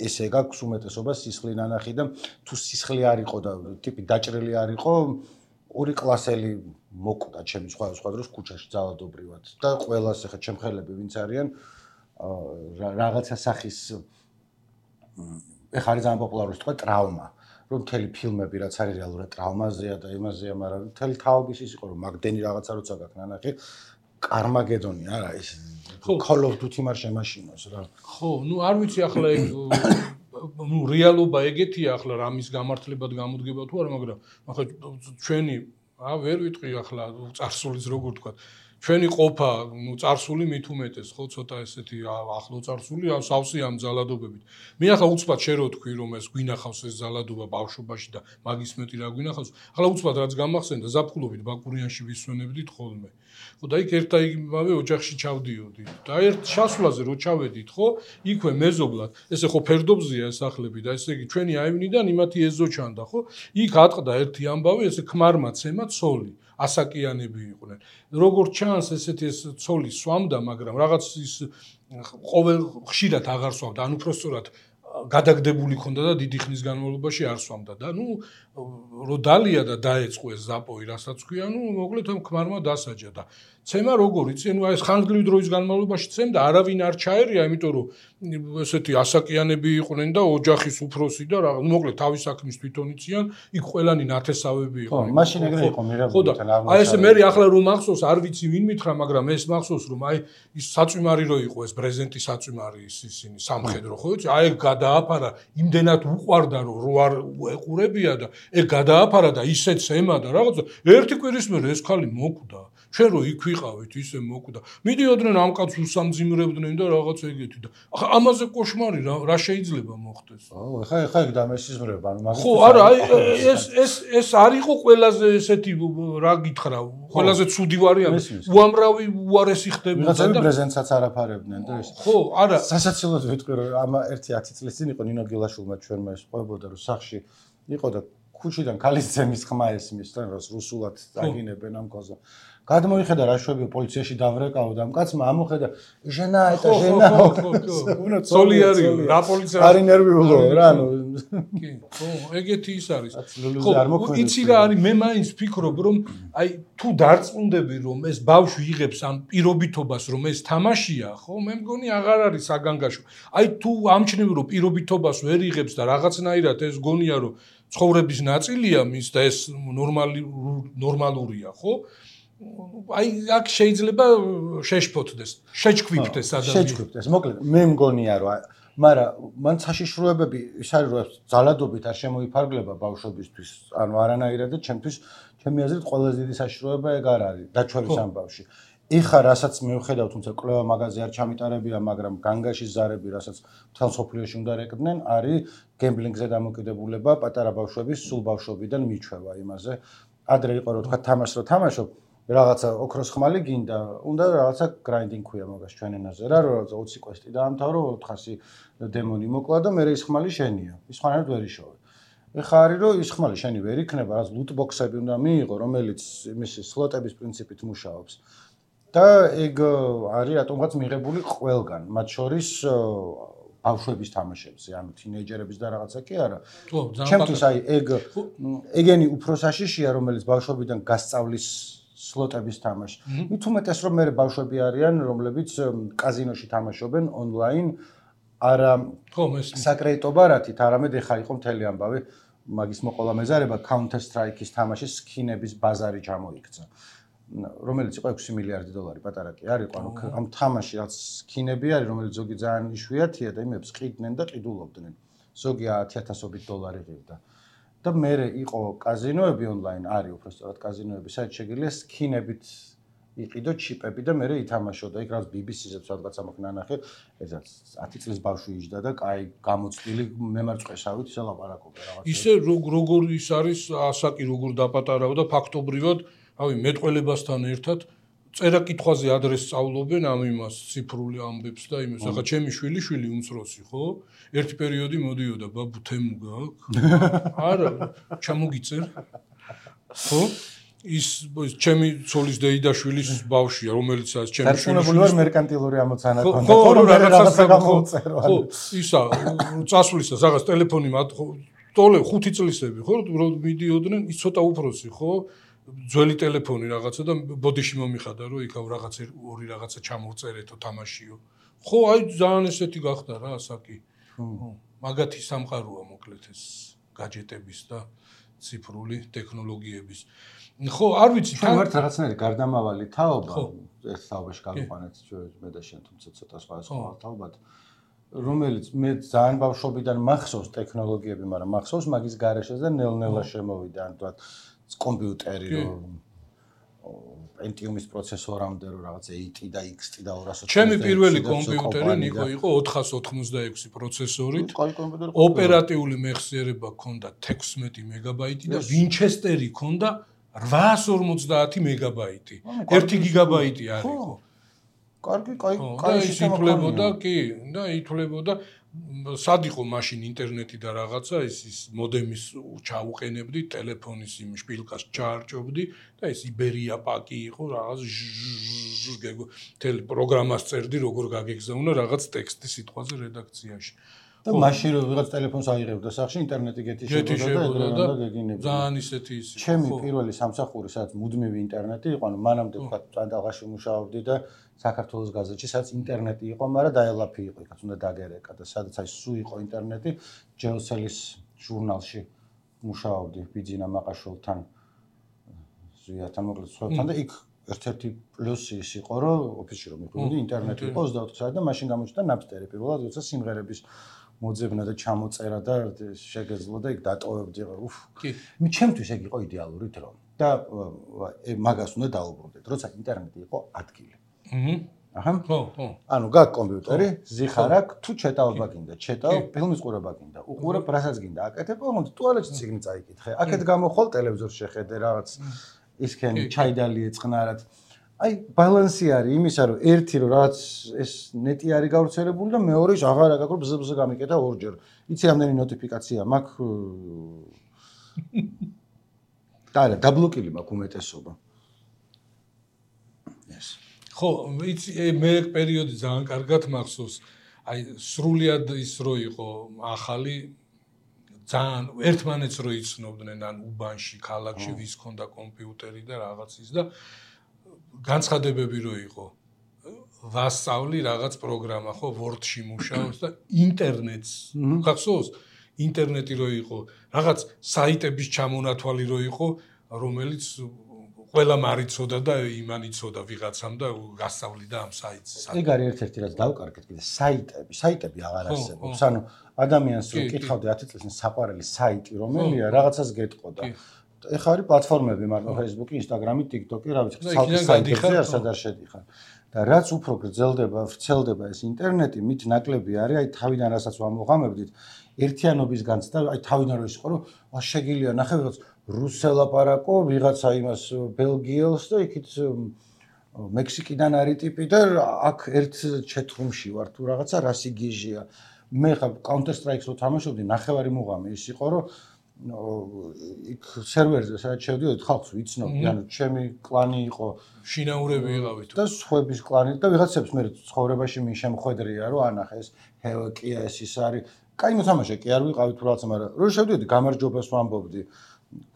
ესე გაქვს უმეტესობა სისხლი ნანახი და თუ სისხლი არ იყო და ტიპი დაჭრილი არ იყო, ორი კლასელი მოკვდა ჩემი სხვა დროს ქუჩაში ძალადობრივად და ყველას ახლა ჩემ ხელები ვინც არიან რაღაცა სახის ეხლა არის ძალიან პოპულარული სიტყვა ტრავმა რომ მთელი ფილმები რაც არის რეალურად ტრავმაზეა და იმაზეა მაგრამ მთელი თაობის ის იყო რომ მაგდენი რაღაცა როცა გაქვს ნანახი Carmageddon-ი არა ის Call of Duty მარ შემაშინოს რა ხო ნუ არ ვიცი ახლა ნუ რეალობა ეგეთია ახლა რამის გამართლებად გამოდგება თუ არა მაგრამ ახლა ჩვენი ვერ ვიტყვი ახლა წარსულის როგორ თქვა ჩვენი ყოფა ნუ წარსული მით უმეტეს ხო ცოტა ესეთი ახლო წარსული სავსე ამ ძალადობებით მე ახლა უცბად შე რო თქვი რომ ეს გვინახავს ეს ძალადობა ბავშვობაში და მაგის მეტი რა გვინახავს ახლა უცბად რაც გამახსენდა ზაფხულობით ბაკურიანში ვისვენებდით ხოლმე ხო და იქ ერთ აიგივე ოჯახში ჩავდიოდი და ერთ შასვლაზე რო ჩავედით ხო იქვე მეზობლად ესე ხო ფერდობზეა ეს სახლები და ესე იგი ჩვენი აივნიდან იმათი ეზო ჩანდა ხო იქ ატყდა ერთი ამბავი ესე ქმარმა ცემა ცოლი ასაკიანები იყვნენ. როგორც ჩანს, ესეთი ეს ცოლი სვამდა, მაგრამ რაღაც ის ყოველ ხშირად აღარ სვამდა. ან უფრო სწორად გადაგდებული ქონდა და დიდი ხნის განმავლობაში არ სვამდა და რო დალია და დაეწყო ეს ზაპოი, რასაც ქვია, მოკლედ ამ ქმარმა დასაჯა და ცემა როგორ იცი, ეს ხანგრძლივი დროის განმავლობაში ცემდა, არავინ არ ჩაერია, იმიტომ რომ ესეთი ასაკიანები იყვნენ და ოჯახის უფროსი და რა, მოკლედ თავის საქმის თვითონ იციან, იქ ყველანი ნათესავები იყვნენ. ხო, მაშინ ეგრე იყო მიღებული თან არ. აი ესე მე ახლა რომ მახსოვს, არ ვიცი ვინ მითხრა, მაგრამ ეს მახსოვს რომ აი ის საწვიმარი რო იყო ეს პრეზიდენტის საწვიმარი ისინი სამხედრო, ხო იცი? აი ეგ გადააფარა, იმდენად უყვარდა რომ რო არ ეყურებია და ეგ გადააფარა და ისეც ემა და რაღაცა ერთი კვირის მერე ეს ხალი მოკვდა. ჩვენ რო იქ ვიყავით, ისე მოკვდა. მიდიოდნენ ამ კაცს უსამძიმრებდნენ და რაღაც ეგეთი და ახლა ამაზე კოშმარი რა შეიძლება მოხდეს? აუ, ხა ეგ დამესიზმრება, ანუ მაგის. ხო, არა, აი ეს არ იყო ყველაზე ესეთი რა გითხრა, ყველაზე ცუდი ვარიანტი. უამრავი უარესი ხდებოდა და პრეზენტსაც არაფარებდნენ და ეს. ხო, არა. სასაცილოდ ვიტყვი რომ ამ 1-10 წლის წინ იყო ნინო გილაშვილმა ჩვენმა ეს ყვებოდა რომ სახში იყო და ქუჩიდან ქალის ძემის ხმა ესმის და რუსულად წაგინებენ ამ კოზა. გადმოიხედა რა შვები პოლიციაში დავრეკავ და ამ კაცმა ამოხედა ჟენა ეტა ჟენა უნდა სოლიარიო რა პოლიცია არი ნერვიულო რა ანუ კი ხო ეგეთი ის არის ხო იცი რა არის მე მაინც ვფიქრობ რომ აი თუ დარწმუნდები რომ ეს ბავშვი იღებს ამ პირობითობას რომ ეს თამაშია ხო მე მგონი აღარ არის საგანგაშო აი თუ ამჩნევი რომ პირობითობას ვერ იღებს და რაღაცნაირად ეს გონია რომ ცხოვრების ნაწილია მის და ეს ნორმალურია ხო აი აქ შეიძლება შეშფოთდეს, შეჩქვიფდეს ადამიანი. შეჩქვიფდეს, მოკლედ მე მგონია რომ მაგრამ მან საშიშროებები ის არის რომ ძალადობით არ შემოიფარგლება ბავშვებისთვის, ანუ არანაირად და ჩემთვის ჩემი აზრით ყველაზე დიდი საშიშროება ეგ არ არის დაჩვევის ამბავში. ეხა რასაც მივხედავ, თუმცა კვლევა მაგაზე არ ჩამიტარებია, მაგრამ განგაშის ზარები, რასაც მთელ სოფლიოში უნდა რეკდნენ, არის გემბლინგზე დამოკიდებულება პატარა ბავშვების სულ ბავშვობიდან მიჩვევა იმაზე. ადრე იყო რომ თქვა თამაშს რო თამაშობ რაღაცა ოქროს ხმალი გინდა, უნდა რაღაცა გრაინდინგ ქვია მაგას ჩვენ ენაზე რა, რომ რაღაცა 20 კვესტი დაამთავრო, 400 დემონი მოკლა და მე ის ხმალი შენია. ის ხმალად ვერ იშოვე. ეხა არის რომ ის ხმალი შენი ვერ იქნება, რაც ლუტ ბოქსები უნდა მიიღო, რომელიც იმისი სლოტების პრინციპით მუშაობს. და ეგ არის რატომღაც მიღებული ყველგან, მათ შორის ბავშვების თამაშებზე, ანუ თინეიჯერების და რაღაცა კი არა. ჩემთვის აი ეგენი უფრო საშიშია, რომელიც ბავშვობიდან გასწავლის სლოტების თამაში. მით უმეტეს რომ მე ბავშვები არიან, რომლებიც კაზინოში თამაშობენ ონლაინ, არა საკრედიტო ბარათით, არამედ ეხა იყო მთელი ამბავი, მაგის მოყოლა მეზარება Counter Strike-ის თამაშის სკინების ბაზარი ჩამოიქცა. რომელიც იყო 6 მილიარდი დოლარი, პატარა კი არ იყო, ანუ ამ თამაში რაც სკინები არის, რომელიც ზოგი ძალიან იშვიათია და იმებს ყიდნენ და ყიდულობდნენ. ზოგი 10,000-ობით დოლარი ღირდა. და მე იყო კაზინოები ონლაინ, არის უბრალოდ კაზინოები, სადაც შეგიძლია სკინებით იყიდო ჩიპები და მე ითამაშო და იქ რაც BBC-ზე სადღაც ამახ ნანახე, ესაც 10 წლის ბავშვი იჯდა და კაი გამოცდილი მემარწყესავით ისე ლაპარაკობდა რაღაცა. ისე როგორ ის არის ასაკი როგორ დაპატარავდა და ფაქტობრივად ავი მეტყველებასთან ერთად წერა-კითხვაზე ადრეს სწავლობენ ამ იმას ციფრული ამბებს და იმას. ახლა ჩემი შვილი უმცროსი, ხო? ერთი პერიოდი მოდიოდა, ბაბუ თემუ გაქვს? არა, ჩამოგიწერ. ხო? ის ჩემი ცოლის დეიდაშვილის ბავშვია, რომელიც არის ჩემი შვილი. დარწმუნებული ვარ მერკანტილური ამოცანა ქონდა. ხო, რაღაცა გამოწერო. ხო, ისა, წასვლისა, რაღაც ტელეფონი ტოლე 5 წლისები, ხო? რომ მიდიოდნენ, ის ცოტა უფროსი, ხო? ძველი ტელეფონი რაღაცა და ბოდიში მომიხადა რომ იქ ორი რაღაცა ჩამოვწერეთო თამაშიო. ხო, აი ძალიან ესეთი გახდა რა ასაკი. მაგათი სამყაროა მოკლედ ეს გაჯეტების და ციფრული ტექნოლოგიების. ხო, არ ვიცი, თან ვართ რაღაცნაირი გარდამავალი თაობა, ერთ თაობაში გავიყვანეთ მე და შენ, თუმცა ცოტა სხვა თაობად, რომელიც მე ძალიან ბავშვობიდან მახსოვს ტექნოლოგიები, მაგრამ მახსოვს მაგის გარეშეზე და ნელ-ნელა შემოვიდა, ანუ თქვა კომპიუტერი რომ Pentium-ის პროცესორამდე რომ რაღაც 8 და XT და 200. ჩემი პირველი კომპიუტერი ნიკო იყო 486 პროცესორით. ოპერატიული მეხსიერება ჰქონდა 16 მეგაბაიტი და Winchester-ი ჰქონდა 850 მეგაბაიტი. 1 გიგაბაიტი არ იყო. კარგი, ითვლებოდა, კი, და ითვლებოდა სად იყო მაშინ ინტერნეტი და რაღაცა ის მოდემის ჩაუყენებდი ტელეფონის იმ შპილკას ჩაარჭობდი და ეს იბერია პაკი იყო რაღაც თელ პროგრამას წერდი როგორ გაგეგზავნა რაღაც ტექსტი სიტყვაზე რედაქციაში და მაშინ რომ ვიღაც ტელეფონს აიღებდა სახში ინტერნეტი გეთიშებოდა და გეგინებოდა ძალიან ისეთი ის ჩემი პირველი სამსახური სადაც მუდმივი ინტერნეტი იყო ანუ მანამდე თქვა წანდაღაში მუშაობდი და საქართველოს გაზეთში სადაც ინტერნეტი იყო მაგრამ დაელაფი იყო იქაც უნდა დაგერეკა და სადაც აი სულ იყო ინტერნეტი ჯეოსელის ჟურნალში მუშაობდი ბიძინა მაყაშვილთან ზვიათან მოკლედ სხვებთან და იქ ერთ-ერთი პლუსი ის იყო რომ ოფისში რომ მიყავდი ინტერნეტი იყო 24 საათი და მაშინ გამოჩნდა ნაპსტერი პირველად როცა სიმღერების მოძებნა და ჩამოწერა და შეგეძლო და იქ დატოვებდი უფ მე ჩემთვის ეგ იყო იდეალური დრო და მაგას უნდა დაუბრუნდეთ როცა ინტერნეტი იყო ადგილი აჰა ხო ანუ გაქვს კომპიუტერი ზიხარ აქვს თუ ჩეტაობა გინდა ჩეტავ ფილმის ყურება გინდა უყურებ რასაც გინდა აკეთებ ოღონდ ტუალეტში წიგნი წაიკითხე აქეთ გამოხვალ ტელევიზორს შეხედე რაღაც ისქენი ჩაიდალი ეწყნარად აი ბალანსი არის იმისა რომ ერთი რომ რაღაც ეს ნეტი არის გავრცელებული და მეორე აღარ აკაკრო ბზბზ გამიკეთა ორჯერ იცი რამდენი ნოტიფიკაცია მაქვს და დაბლოკილი მაქვს უმეტესობა ეს ხო იცი მე პერიოდი ძალიან კარგად მახსოვს აი სრულიად ის რო იყო ახალი ძალიან ერთმანეთს რო იცნობდნენ ან უბანში ქალაქში ვის ქონდა კომპიუტერი და რაღაცის და განცხადებები რო იყო ვასწავლი რაღაც პროგრამა ხო Word-ში მუშაობს და ინტერნეტს გახსოვს ინტერნეტი რო იყო რაღაც საიტების ჩამონათვალი რო იყო რომელიც ყველა მარიცოდა და იმან იცოდა ვიღაცამ და გასწავლიდა ამ საიტს ეგ არის ერთ-ერთი რაც დავკარგეთ კიდე საიტები აღარ არსებობს ანუ ადამიანს რო კითხავდი 10 წელს საყვარელი საიტი რომელია რაღაცას გეტყოდა ეხლა არის პლატფორმები მარტო Facebook, Instagram, TikTok, რა ვიცი, ცალკე საიტებზე არსად არ შედიხარ. და რაც უფრო გრძელდება, ვრცელდება ეს ინტერნეტი, მით ნაკლები არის, აი თავიდან რასაც ვამოღამებდით, ერთიანობის განცდა, აი თავიდან რო ისყო, რომ შეგიძლია ნახე ვიღაც რუსელ ლაპარაკო, ვიღაცა იმას ბელგიელს და იქით მექსიკიდან არის ტიპი და აქ ერთ ჩეთრუმში ვარ თუ რაღაცა რასი გიჟია. მე ხა Counter Strike-ს რო თამაშობდი, ნახევარი მუღამი ის იყო, რომ იქ სერვერზე სადაც შევდიოდი ხალხს ვიცნობდი, ანუ ჩემი კლანი იყო, შინაურები იყავით და სხვების კლანი და ვიღაცებს მე ცხოვრებაში მინ შემხვედრია, რომ ანახე ეს ჰელკია ეს ის არის. კაი მოთამაშე კი არ ვიყავით თუ რაღაცა, მაგრამ რო შევდიოდი გამარჯვებას ვამბობდი,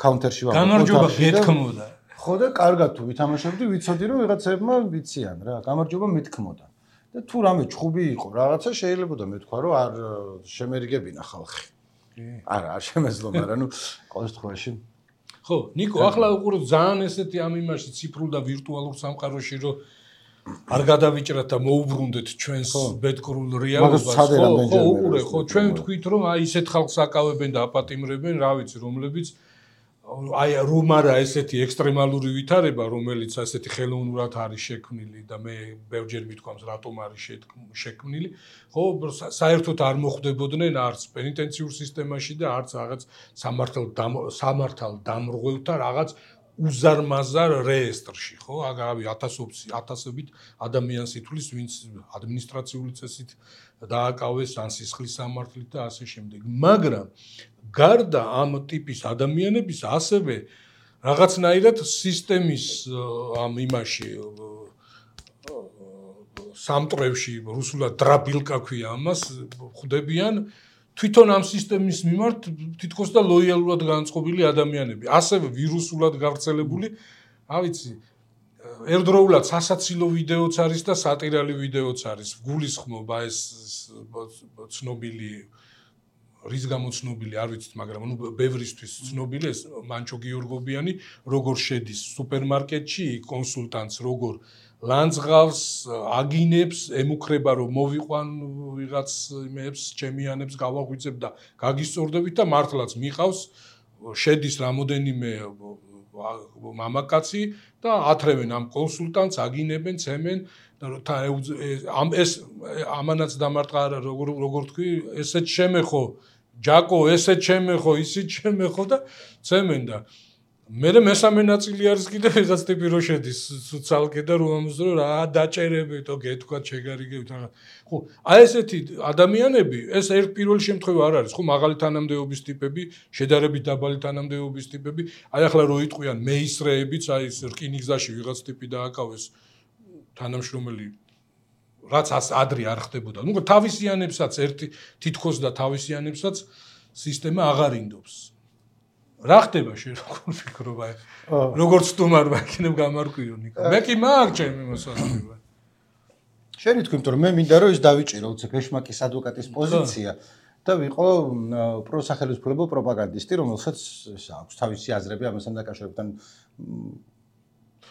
Counter-ში ვამბობდი. გამარჯვება გეთქმოდა. ხო და კარგად თუ ვითამაშებდი, ვიცოდი რომ ვიღაცებმა ვიციან რა, გამარჯვება მეთქმოდა. და თუ რამე ჩხუბი იყო, რაღაცა შეიძლება მეთქვა, რომ არ შემერიგებინა ხალხი. არა, არ შემეძლო, მაგრამ ნუ ყოველ შემთხვევაში. ხო, ნიკო, ახლა უყურებ ძალიან ესეთი ამ იმაში ციფრულ და ვირტუალურ სამყაროში, რომ არ გადავიჭრათ და მოუბრუნდეთ ჩვენს ბედკრულ რეალობას. ხო, უყურე, ხო, ჩვენ ვთქვით, რომ აი ისეთ ხალხს აკავებენ და აპატიმრებენ, რა ვიცი, რომლებიც აი რომ არა ესეთი ექსტრემალური ვითარება, რომელიც ასეთი ხელოვნურად არის შექმნილი და მე ბევრჯერ მithქვამს რატომ არის შექმნილი, ხო, საერთოდ არ მოხვდებოდნენ არც პენიტენციურ სისტემაში და არც რაღაც სამართალ დამრღვევთა რაღაც უზარმაზარ რეესტრში, ხო, აგავი ათასობით ადამიანს ითვლის, ვინც ადმინისტრაციული წესით დააკავეს ან სისხლის სამართლით და ასე შემდეგ. მაგრამ გარდა ამ ტიპის ადამიანების ასევე რაღაცნაირად სისტემის ამ იმაში სამტრევში რუსულად დრაბილკა ქვია ამას ხვდებიან თვითონ ამ სისტემის მიმართ თითქოს და ლოიალურად განწყობილი ადამიანები ასევე ვირუსულად გავრცელებული რა ვიცი ერთდროულად სასაცილო ვიდეოც არის და სატირალი ვიდეოც არის გულისხმობა ეს ცნობილი რის გამოცნობილი არ ვიცით, მაგრამ ნუ ბევრისთვის ცნობილი ეს მანჩო გიორგობიანი როგორ შედის სუპერმარკეტში კონსულტანტს როგორ ლანძღავს, აგინებს, ემუქრება რომ მოვიყვან ვიღაც იმებს, ჩემიანებს გავაღვიძებ და გაგისწორდებით და მართლაც მიყავს შედის რამოდენიმე მამაკაცი და ათრევენ ამ კონსულტანტს, აგინებენ, ცემენ და ამ ეს ამანაც დამარტყა როგორ თქვი, ესეც შემეხო ჯაკო, ესეც შემეხო, ისიც შემეხო და ცემენ და მე მესამე ნაწილი არის კიდე ვიღაც ტიპი რო შედის ცალკე და რომ ამბობს რა დაჭერებითო გეთქვათ შეგარიგებით რა. ხო, აი ესეთი ადამიანები, ეს ერთ პირველ შემთხვევა არ არის, ხო, მაღალი თანამდებობის ტიპები, შედარებით დაბალი თანამდებობის ტიპები, აი ახლა რო იტყვიან მეისრეებიც, აი ეს რკინიგზაში ვიღაც ტიპი დააკავეს თანამშრომელი რაც ადრე არ ხდებოდა. ნუ თავისიანებსაც ერთი თითქოს და თავისიანებსაც სისტემა აღარ ინდობს. რა ხდება შენ როგორ ფიქრობ აი როგორც სტუმარმა იქნებ გამარკვიო ნიკო. მე კი მაგ ჩემი მოსაზრება. შენი თქვი, იმიტომ რომ მე მინდა რომ ის დავიჭირო უცებ ეშმაკის ადვოკატის პოზიცია და ვიყო პროსახელისმფლობო პროპაგანდისტი, რომელსაც აქვს თავისი აზრები ამასთან დაკავშირებთან.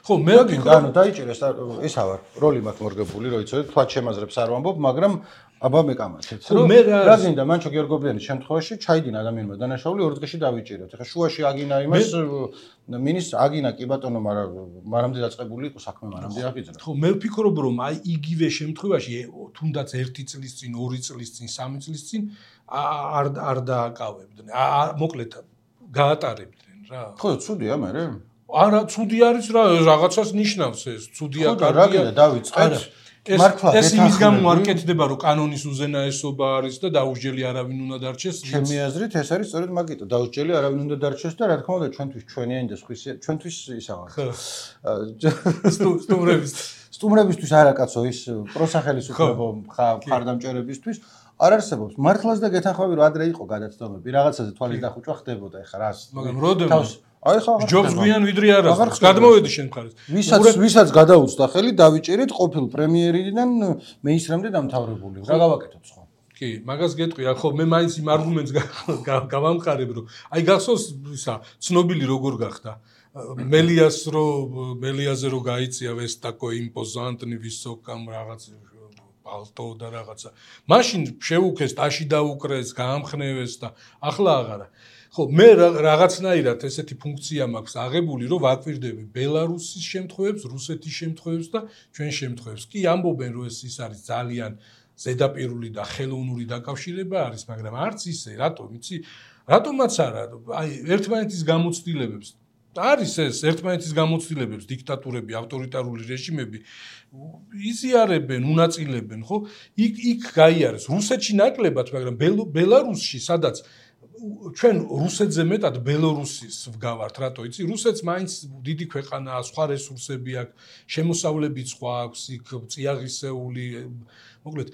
ხო, მე ანუ დაიჭირეს ესა ვარ, როლი მაქვს მორგებული, რომ იცოდე, თქვა ჩემაზრებს არ ვამბობ, მაგრამ აბა მეკამათეთ. რომ რა გინდა მანჩო გიორგობლიანის შემთხვევაში ჩაიდინა ადამიანმა დანაშაული 2 დღეში დავიჭიროთ. ეხლა შუაში აგინა იმას მინის აგინა კი ბატონო, მაგრამ მანამდე დაწყებული იყო საქმე, მანამდე აღიძრა. ხო, მე ვფიქრობ რომ აი იგივე შემთხვევაში თუნდაც 1 წლის წინ, 2 წლის წინ, 3 წლის წინ არ დააკავებდნენ. მოკლედ გაატარებდნენ რა. ხო, ცუდია მე. არა, ცუდი არის რა, რაღაცას ნიშნავს ეს. ცუდია კარგია. რა გინდა დავიწყეთ? ეს იმის გამო არ კეთდება, რომ კანონის უზენაესობა არის და დაუსჯელი არავინ უნდა დარჩეს. ჩემი აზრით ეს არის სწორედ მაგიტო, დაუსჯელი არავინ უნდა დარჩეს და რა თქმა უნდა ჩვენთვის ჩვენიანი და ჩვენთვის ისა ვარ. სტუმრებისთვის არა კაცო ის პროსახელისუფლებო მხარდამჭერებისთვის არ არსებობს. მართლაც და გეთანხმები რომ ადრე იყო გადაცდომები, რაღაცაზე თვალის დახუჭვა ხდებოდა ეხლა რას. მაგრამ როდესაც აი ხა ჯობს გვიან ვიდრე არას. გადმოვედი შენ მხარეს. ვისაც გადაუცდა ხელი დავიჭერით ყოფილ პრემიერიდან მეისრამდე დამთავრებული. რა გავაკეთოთ ხო? კი, მაგას გეტყვი, ხო მე მაინც იმ არგუმენტს გავამყარებ, რომ აი გახსოვს ისა ცნობილი როგორ გახდა. მელიაზე რო გაიწია ვესტაკო იმპოზანტნი ვისოკამ რაღაც პალტო და რაღაცა. მაშინ შეუქეს, ტაში დაუკრეს, გაამხნევეს და ახლა აღარა. ხო, მე რაღაცნაირად ესეთი ფუნქცია მაქვს აღებული, რომ ვაკვირდები ბელარუსის შემთხვევებს, რუსეთის შემთხვევებს და ჩვენ შემთხვევებს. კი ამბობენ, რომ ეს ის არის ძალიან ზედაპირული და ხელოვნური დაკავშირება არის, მაგრამ არც ისე, რატომ იცი? რატომაც არა, აი ერთმანეთის გამოცდილებებს არის ეს ერთმანეთის გამოცდილებებს დიქტატურები, ავტორიტარული რეჟიმები იზიარებენ, უნაწილებენ, ხო? იქ გაიარეს რუსეთში ნაკლებად, მაგრამ ბელარუსში სადაც ჩვენ რუსეთზე მეტად ბელორუსის ვგავართ, რატო იცი? რუსეთს მაინც დიდი ქვეყანაა, სხვა რესურსები აქვს, შემოსავლები სხვა აქვს, იქ წიაღისეული, მოკლედ,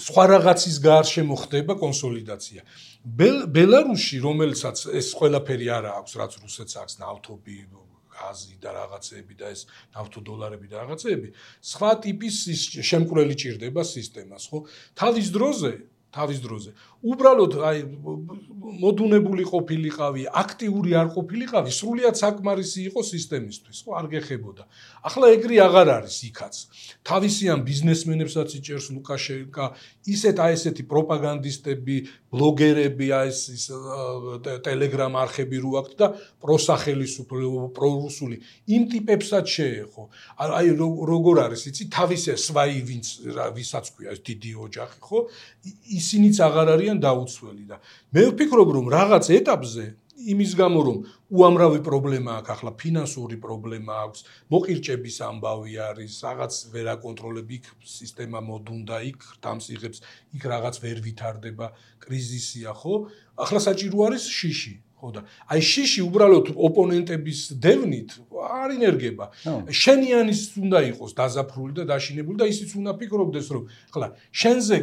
სხვა რაღაცის გარშემო ხდება კონსოლიდაცია. ბელარუსში, რომელსაც ეს ყველაფერი არა აქვს, რაც რუსეთს აქვს, ნავთობი, გაზი და რაღაცეები და ეს ნავთოდოლარები და რაღაცეები, სხვა ტიპის შემკვრელი ჭირდება სისტემას, ხო? თავის დროზე. უბრალოდ აი მოდუნებული ყოფილიყავი, აქტიური არ ყოფილიყავი, სრულიად საკმარისი იყო სისტემისთვის, ხო, არ გეხებოდა. ახლა ეგრე აღარ არის იქაც. თავისიან ბიზნესმენებსაც იჭერს ლუკაშენკა, ესეთი პროპაგანდისტები, ბლოგერები, ეს ტელეგრამ არხები რო აქვს და პროსახელისუფლებო, პრორუსული იმ ტიპებსაც შეეხო. აი როგორ არის, იცი, თავისი სვაი ვისაც ქვია ეს დიდი ოჯახი, ხო? ისინიც აღარ არიან დაუცველი და მე ვფიქრობ რომ რაღაც ეტაპზე იმის გამო რომ უამრავი პრობლემა აქვს ახლა ფინანსური პრობლემა აქვს მოყირჭების ამბავი არის რაღაც ვერ აკონტროლებ იქ სისტემა მოდუნდა იქ დამსიღებს იქ რაღაც ვერ ვითარდება კრიზისია ხო ახლა საჭირო არის შიში ხო და აი შიში უბრალოდ ოპონენტების დევნით არ ინერგება შენიანის უნდა იყოს დაზაფრული და დაშინებული და ისიც უნდა ფიქრობდეს რომ ახლა შენზე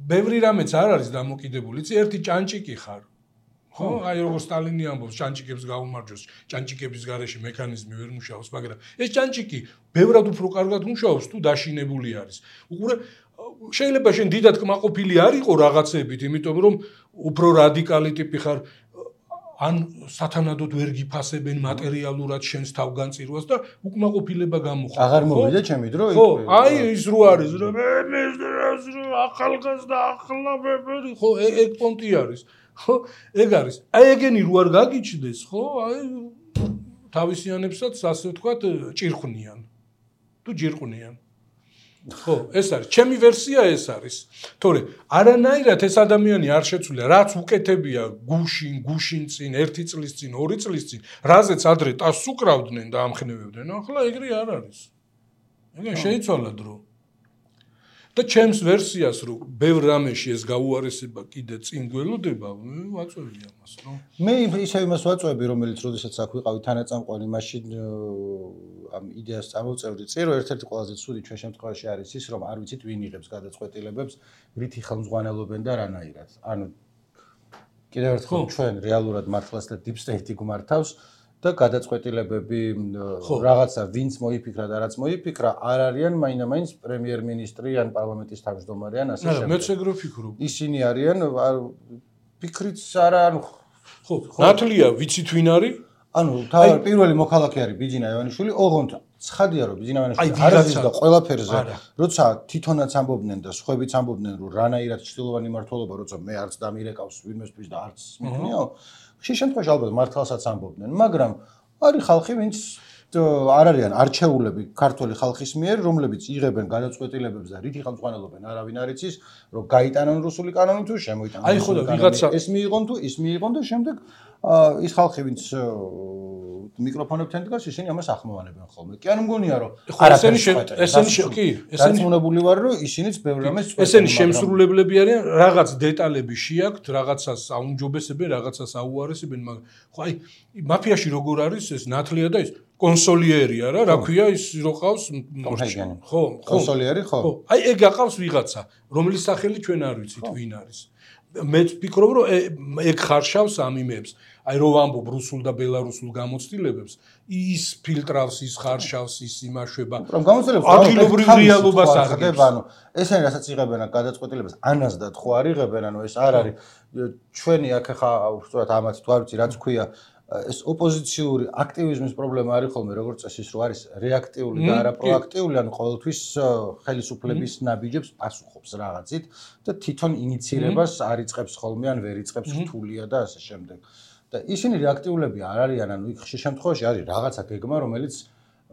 ბევრი რამეც არ არის დამოკიდებული. იცი, ერთი ჭანჭიკი ხარ. ხო, აი როგორ სტალინი ამბობს, ჭანჭიკებს გაუმარჯოს, ჭანჭიკების გარეშე მექანიზმი ვერ მუშაობს, მაგრამ ეს ჭანჭიკი ბევრად უფრო კარგად მუშაობს, თუ დაშინებული არის. უყურე, შეიძლება შენ დიდად კმაყოფილი არ იყო რაღაცებით, იმიტომ რომ უფრო რადიკალი ტიპი ხარ, ან სათანადოდ ვერ გიფასებენ მატერიალურად შენს თავგანწირვას და უკმაყოფილება გამოხდა. აღარ მოვიდა ჩემი დრო იქ. ხო, აი ის რო არის, რომ ახალგაზრდა ახლა ბებერი, ხო, ეგ პონტი არის. ხო, ეგ არის. აი ეგენი რო არ გაგიჩნდეს, ხო, აი თავისიანებსაც ასე ვთქვათ, ჭირხვნიან. თუ ჯირყვნიან. ხო, ეს არის. ჩემი ვერსია ეს არის. თორე არანაირად ეს ადამიანი არ შეცვლილა, რაც უკეთებია გუშინ წინ, 1 წლის წინ, 2 წლის წინ, რაზეც ადრე ტასს უკრავდნენ და ამხნევებდნენ, ახლა ეგრე არ არის. ეგენ შეიცვალა დრო. და ჩემს ვერსიას რომ ბევრ რამეში ეს გაუარესება კიდე წინ გველოდება, ვაწვევი ამას, რომ მე ისე იმას ვაწვევი, რომელიც როდესაც აქ ვიყავი თანაწამყვანი, მაშინ ამ იდეას წამოვწევდი წინ, რომ ერთ-ერთი ყველაზე ცუდი ჩვენ შემთხვევაში არის ის, რომ არ ვიცით ვინ იღებს გადაწყვეტილებებს, რითი ხელმძღვანელობენ და რანაირად. ანუ კიდევ ერთხელ ჩვენ რეალურად მართლაც და deep state-ი გვმართავს და გადაწყვეტილებები რაღაცა ვინც მოიფიქრა და რაც მოიფიქრა არ არიან მაინდა-მაინც პრემიერ-მინისტრი ან პარლამენტის თავმჯდომარე ან ასე შემდეგ. მეც ეგრე ვფიქრობ. ისინი არიან ფიქრიც არა ანუ ხო, ნათლია ვიცით ვინ არის? ანუ თავი პირველი მოქალაქე არის ბიძინა ივანიშვილი, ოღონდ ცხადია რომ ბიძინა ივანიშვილი არ არის და ყველაფერზე, როცა თვითონაც ამბობდნენ და სხვაებიც ამბობდნენ რომ რანაირად ჭრილოვანი მართლობა, როცა მე არც დამირეკავს ვინმესთვის და არც მიქნიაო, ხშირ შემთხვევაში ალბათ მართლსაც ამბობდნენ, მაგრამ არის ხალხი, ვინც არ არიან არჩეულები ქართული ხალხის მიერ, რომლებიც იღებენ გადაწყვეტილებებს და რითი ხელმძღვანელობენ, არავინ არ იცის, რომ გაიტანონ რუსული კანონი თუ შემოიტანონ. აი ხო და ვიღაცა ეს მიიღონ თუ ის მიიღონ და შემდეგ ის ხალხი, ვინც მიკროფონებთან დგას, ისინი ამას ახმოვანებენ ხოლმე. კი არ მგონია რომ ესენი კი, ესენი მონებული ვარ რომ ისინიც ბევრ რამეს წვეთენ. ესენი შემსრულებლები არიან, რაღაც დეტალები შეაქვთ, რაღაცას აუმჯობესებენ, რაღაცას აუარესებენ, მაგრამ ხო აი მაფიაში როგორ არის ეს ნათლია და ის კონსოლიერია რა, რა ქვია ის რო ყავს ხო, კონსოლიერი ხო. ხო, აი ეგ აყავს ვიღაცა, რომლის სახელი ჩვენ არ ვიცით ვინ არის. მე ვფიქრობ რომ ეგ ხარშავს ამ იმებს. აი რო ვამბობ რუსულ და ბელარუსულ გამოცდილებებს, ის ფილტრავს, ის ხარშავს, ის იმაშვება. რომ გამოცდილებებს ადგილობრივ რეალობას აღგებს. ანუ ესენი რასაც იღებენ გადაწყვეტილებას, ანაზდად ხო არ იღებენ, ანუ ეს არ არის ჩვენი აქ ხა უბრალოდ ამათ თუ არ ვიცი რაც ქვია ეს ოპოზიციური აქტივიზმის პრობლემა არის ხოლმე როგორც წესი რომ არის რეაქტიული და არა პროაქტიული, ანუ ყოველთვის ხელისუფლების ნაბიჯებს პასუხობს რაღაცით და თვითონ ინიციირებას არ იწყებს ხოლმე ან ვერ იწყებს რთულია და ასე შემდეგ. და ისინი რეაქტიულები არ არიან, ანუ იქ ხშირ შემთხვევაში არის რაღაცა გეგმა, რომელიც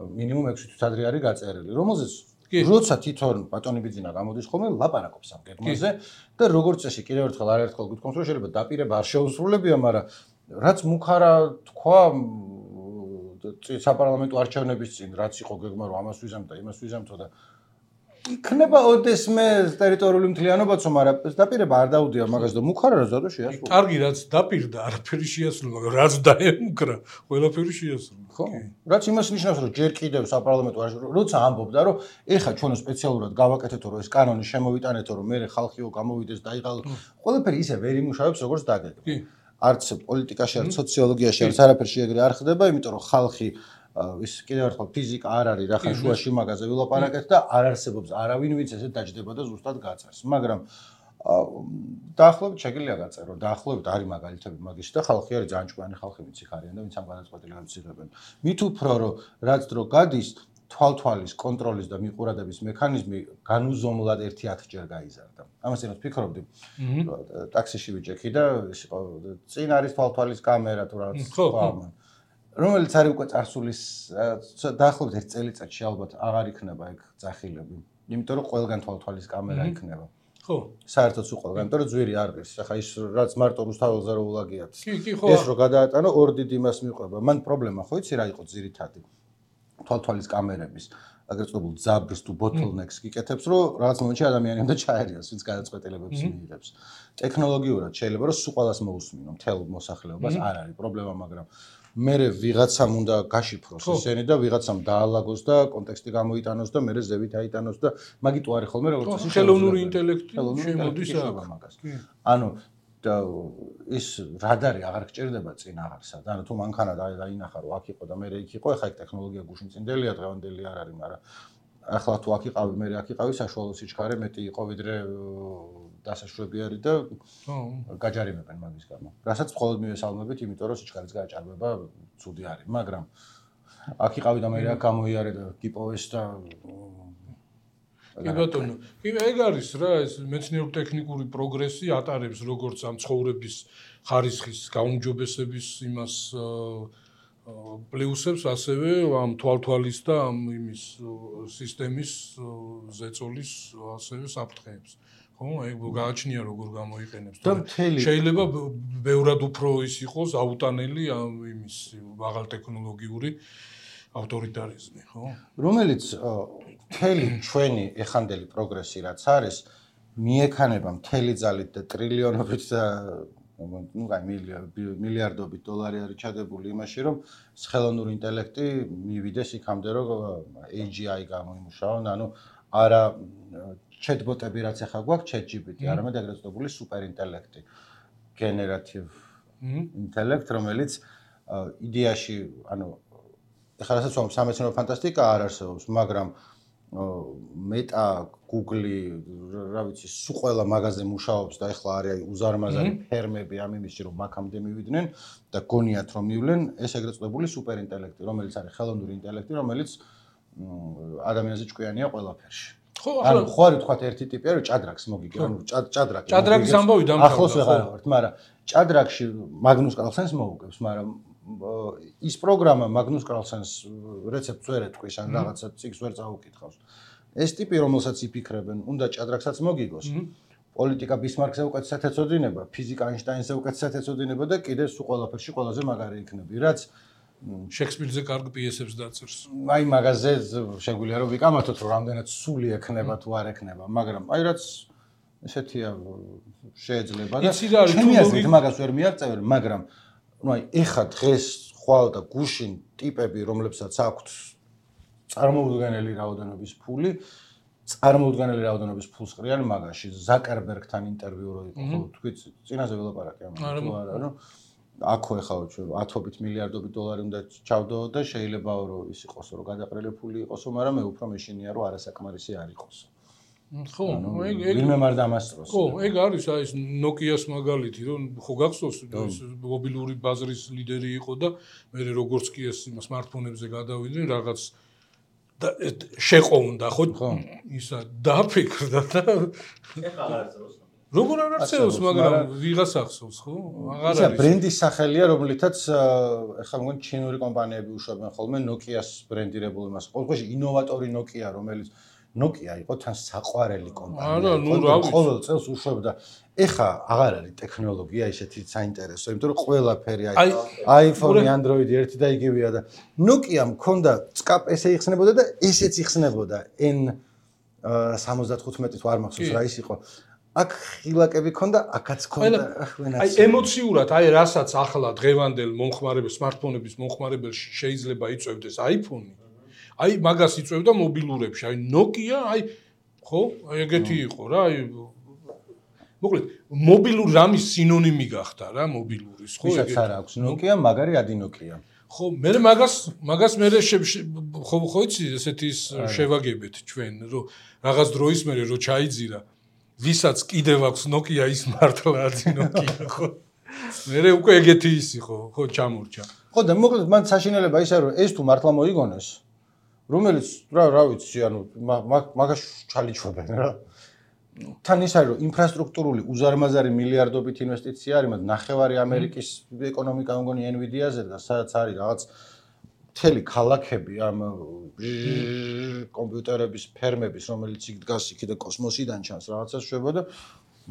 მინიმუმ 6 თვის ადრე არის გაწერილი, რომელზეც როცა თვითონ ბატონი ბიძინა გამოდის ხოლმე ლაპარაკობს ამ გეგმაზე და როგორც წესი კიდევ ერთხელ არაერთხელ გითხოვს რომ შეიძლება დაპირება არ შეუსრულებია, მაგრამ რაც მუხარა თქვა საპარლამენტო არჩევნების წინ, რაც იყო გეგმა რომ ამას ვიზამ და იმას ვიზამთო და იქნება ოდესმე ტერიტორიული მთლიანობაც, მაგრამ დაპირება არ დაუდია მაგას და მუხარა რა ზადო შეასრულა. კარგი, რაც დაპირდა, არაფერი შეასრულა, მაგრამ რაც დაემუქრა, ყველაფერი შეასრულა. ხო. რაც იმას ნიშნავს, რომ ჯერ კიდევ საპარლამენტო არჩევნებში, როცა ამბობდა, რომ ეხა ჩვენ სპეციალურად გავაკეთეთო, რომ ეს კანონი შემოვიტანეთო, რომ მე ხალხიო გამოვიდეს და აიღალო, ყველაფერი ისე ვერ იმუშავებს, როგორც დაგეგმა. არც პოლიტიკაში, არც სოციოლოგიაში, არც არაფერში ეგრე არ ხდება, იმიტომ რომ ხალხი ის კიდევ ერთხელ ფიზიკა არ არის, რახან შუაში მაგაზე ვილაპარაკეთ და არ არსებობს არავინ, ვინც ესე დაჯდება და ზუსტად გაწერს. მაგრამ დაახლოებით შეგიძლია გაწერო, დაახლოებით არის მაგალითები მაგის და ხალხი არის ძალიან ჭკვიანი ხალხი, ვინც იქ არიან და ვინც ამ გადაწყვეტილებებს იღებენ. მით უფრო რომ რაც დრო გადის, თვალთვალის, კონტროლის და მიყურადების მექანიზმი განუზომლად 1-10 ჯერ გაიზარდა. ამას იმას ვფიქრობდი. ტაქსიში ვიჭექი და წინ არის თვალთვალის კამერა თუ რაღაც სხვა ამან. რომელიც არის უკვე წარსულის დაახლოებით 1 წელიწადში ალბათ აღარ იქნება ეგ ძახილები. იმიტომ რომ ყველგან თვალთვალის კამერა იქნება. ხო. საერთოდ სულ ყველგან, იმიტომ რომ ძვირი არ ღირს. ახლა ის რაც მარტო რუსთაველზე რო ულაგიათ. კი, ხო. ეს რო გადაატანო ორ დიდ იმას მიყვება. მან პრობლემა ხო იცი რა იყო ძირითადი? თვალთვალის კამერების აგრეთ წოდებულ ძაბრს თუ ბოთლნეკს გიკეთებს, რომ რაღაც მომენტში ადამიანი უნდა ჩაერიოს, ვინც გადაწყვეტილებებს მიიღებს. ტექნოლოგიურად შეიძლება რომ სულ ყველას მოусმინო, მთელ მოსახლეობას არ არის პრობლემა, მაგრამ მერე ვიღაცამ უნდა გაშიფროს ესენი და ვიღაცამ დაალაგოს და კონტექსტი გამოიტანოს და მერე ზევით აიტანოს და მაგით უარი ხოლმე როგორც წესი ხელოვნური ინტელექტი შემოდის მაგას. ანუ და ის რადარი აღარ გჭირდება წინ აღარსად. ანუ თუ მანქანა დაინახა რომ აქ იყო და მერე იქ იყო, ეხა ეგ ტექნოლოგია გუშინწინდელია, დღევანდელი არ არის, მაგრამ ახლა თუ აქ იყავი, მერე აქ იყავი, საშუალო სიჩქარე მეტი იყო ვიდრე დასაშვები არის და გაჯარიმებენ მაგის გამო. რასაც მხოლოდ მივესალმებით, იმიტომ რომ სიჩქარის გაჭარბება ცუდი არის, მაგრამ აქ იყავი და მერე აქ გამოიარე და გიპოვეს და კი ბატონო, კი ეგ არის რა, ეს მეცნიერულ-ტექნიკური პროგრესი ატარებს როგორც ამ ცხოვრების ხარისხის გაუმჯობესების იმას პლუსებს, ასევე ამ თვალთვალის და ამ იმის სისტემის ზეწოლის ასევე საფრთხეებს. ხო, ეგ გააჩნია როგორ გამოიყენებს. შეიძლება ბევრად უფრო ის იყოს აუტანელი ამ იმის მაღალტექნოლოგიური ავტორიტარიზმი, ხო? რომელიც მთელი ჩვენი ეხანდელი პროგრესი რაც არის, მიექანება მთელი ძალით და ტრილიონობით და მილიარდობით დოლარი არის ჩადებული იმაში, რომ ხელოვნური ინტელექტი მივიდეს იქამდე, რომ AGI გამოიმუშაონ, ანუ არა chatbot-ები რაც ახლა გვაქვს, ChatGPT, არამედ ეგრეთ წოდებული სუპერინტელექტი, generative intellect, რომელიც იდეაში, ანუ ეხლა რასაც ვამბობ, სამეცნიერო ფანტასტიკა არ არსებობს, მაგრამ მეტა, Google-ი, რა ვიცი, სულ ყველა მაღაზია მუშაობს და ეხლა არის უზარმაზარი ფერმები ამ იმისში, რომ მაქამდე მივიდნენ და გონიათ რომ მივლენ, ეს ეგრეთ წოდებული სუპერინტელექტი, რომელიც არის ხელოვნური ინტელექტი, რომელიც ადამიანზე ჭკვიანია ყველაფერში. ხო, ანუ ხო არის თქვა ერთი ტიპი არის ჭადრაკს მოგიგე, ანუ ჭადრაკი. ჭადრაკის ამბავი დამთავრდა. ახლოს ვეღარ ვართ, მაგრამ ჭადრაკში მაგნუს კარლსენს მოუგებს, მაგრამ ის პროგრამა მაგნუს კარლსენს რეცეპტს ვერ ეთქვის, ან რაღაცა ციგს ვერ წაუკითხავს. ეს ტიპი, რომელსაც იფიქრებენ, უნდა ჭადრაკსაც მოგიგოს. პოლიტიკა ბისმარკზე უკეთესად ეცოდინება, ფიზიკა აინშტაინზე უკეთესად ეცოდინება და კიდე სულ ყველაფერში ყველაზე მაგარი იქნები, რაც შექსპირზე კარგ პიესებს დაწერს. აი მაგაზე შეგვიძლია რომ ვიკამათოთ, რომ რამდენად სული ექნება თუ არ ექნება, მაგრამ აი რაც ესეთია შეიძლება და ჩემი აზრით მაგას ვერ მიაღწევენ, მაგრამ ну აი ეხა დღეს ხვალ და გუშინ ტიპები, რომლებსაც აქვთ წარმოუდგენელი რაოდენობის ფული, წარმოუდგენელი რაოდენობის ფულს ყრიან მაგაში. ზაკერბერგთან ინტერვიუ რო იყო, ხო, თქვით, წინაზე ველაპარაკე ამაზე, თუ არა, ну აქო ეხაო ჩვენ ათობით მილიარდობით დოლარი უნდა ჩავდო და შეიძლება რომ ის იყოს, რომ გადაყრილი ფული იყოსო, მაგრამ მე უფრო მეშინია რომ არასაკმარისი არ იყოსო. ხო, ვინმე არ დამასწროს. ხო, ეგ არის აი ეს Nokia-ს მაგალითი, რომ ხო გახსოვს ეს მობილური ბაზრის ლიდერი იყო და მე როგორც კი ეს სმარტფონებზე გადავიდნენ რაღაც და შეყო უნდა ხო ისა დაფიქრდა და ეხლა არ არსებობს. როგორ არ არსებობს, მაგრამ ვიღას ახსოვს, ხო? აღარ არის. ისა ბრენდის სახელია, რომლითაც ეხლა მგონი ჩინური კომპანიები უშვებენ ხოლმე Nokia-ს ბრენდირებულ იმას. ყოველთვის ინოვატორი Nokia, რომელიც Nokia იყო თან საყვარელი კომპანია. არა, ნუ რა ვიცი. ყოველ წელს უშვებდა. ეხლა აღარ არის ტექნოლოგია ისეთი საინტერესო, იმიტომ რომ ყველაფერი iPhone-ი, Android-ი ერთი და იგივეა და Nokia მქონდა SCAP ესე იხსნებოდა და ესეც იხსნებოდა N75 თუ არ მახსოვს რა ის იყო. აქ ხილაკები ქონდა, აქაც ქონდა აი ემოციურად, აი რასაც ახლა დღევანდელ მომხმარებელ სმარტფონების მომხმარებელში შეიძლება იწევდეს iPhone-ი. აი მაგას იწევდა მობილურებში, აი Nokia, აი ხო, აი ეგეთი იყო რა, აი მოკლედ მობილური რამის სინონიმი გახდა რა მობილურის, ხო? ვისაც არ აქვს Nokia, მაგარი ადი Nokia. ხო, მე მაგას მე ხო იცი ესეთი შევაგებეთ ჩვენ, რომ რაღაც დროის მერე რო ჩაიძირა ვისაც კიდევ აქვს Nokia ის მართლა ადი Nokia, ხო? მე უკვე ეგეთი ისი ხო ჩამორჩა. ხო და მოკლედ მან საშინელება ისაა რომ ეს თუ მართლა მოიგონეს რომელიც რა ვიცი ანუ მაგას ჩალიჩვებენ რა თან ის არის რომ ინფრასტრუქტურული უზარმაზარი მილიარდობით ინვესტიცია არის მაგრამ ნახევარი ამერიკის ეკონომიკა მგონი Nvidia-ზე და სადაც არის რაღაც მთელი ქალაქები ამ კომპიუტერების ფერმების რომელიც იქ დგას იქ და კოსმოსიდან ჩანს რაღაცას შვება და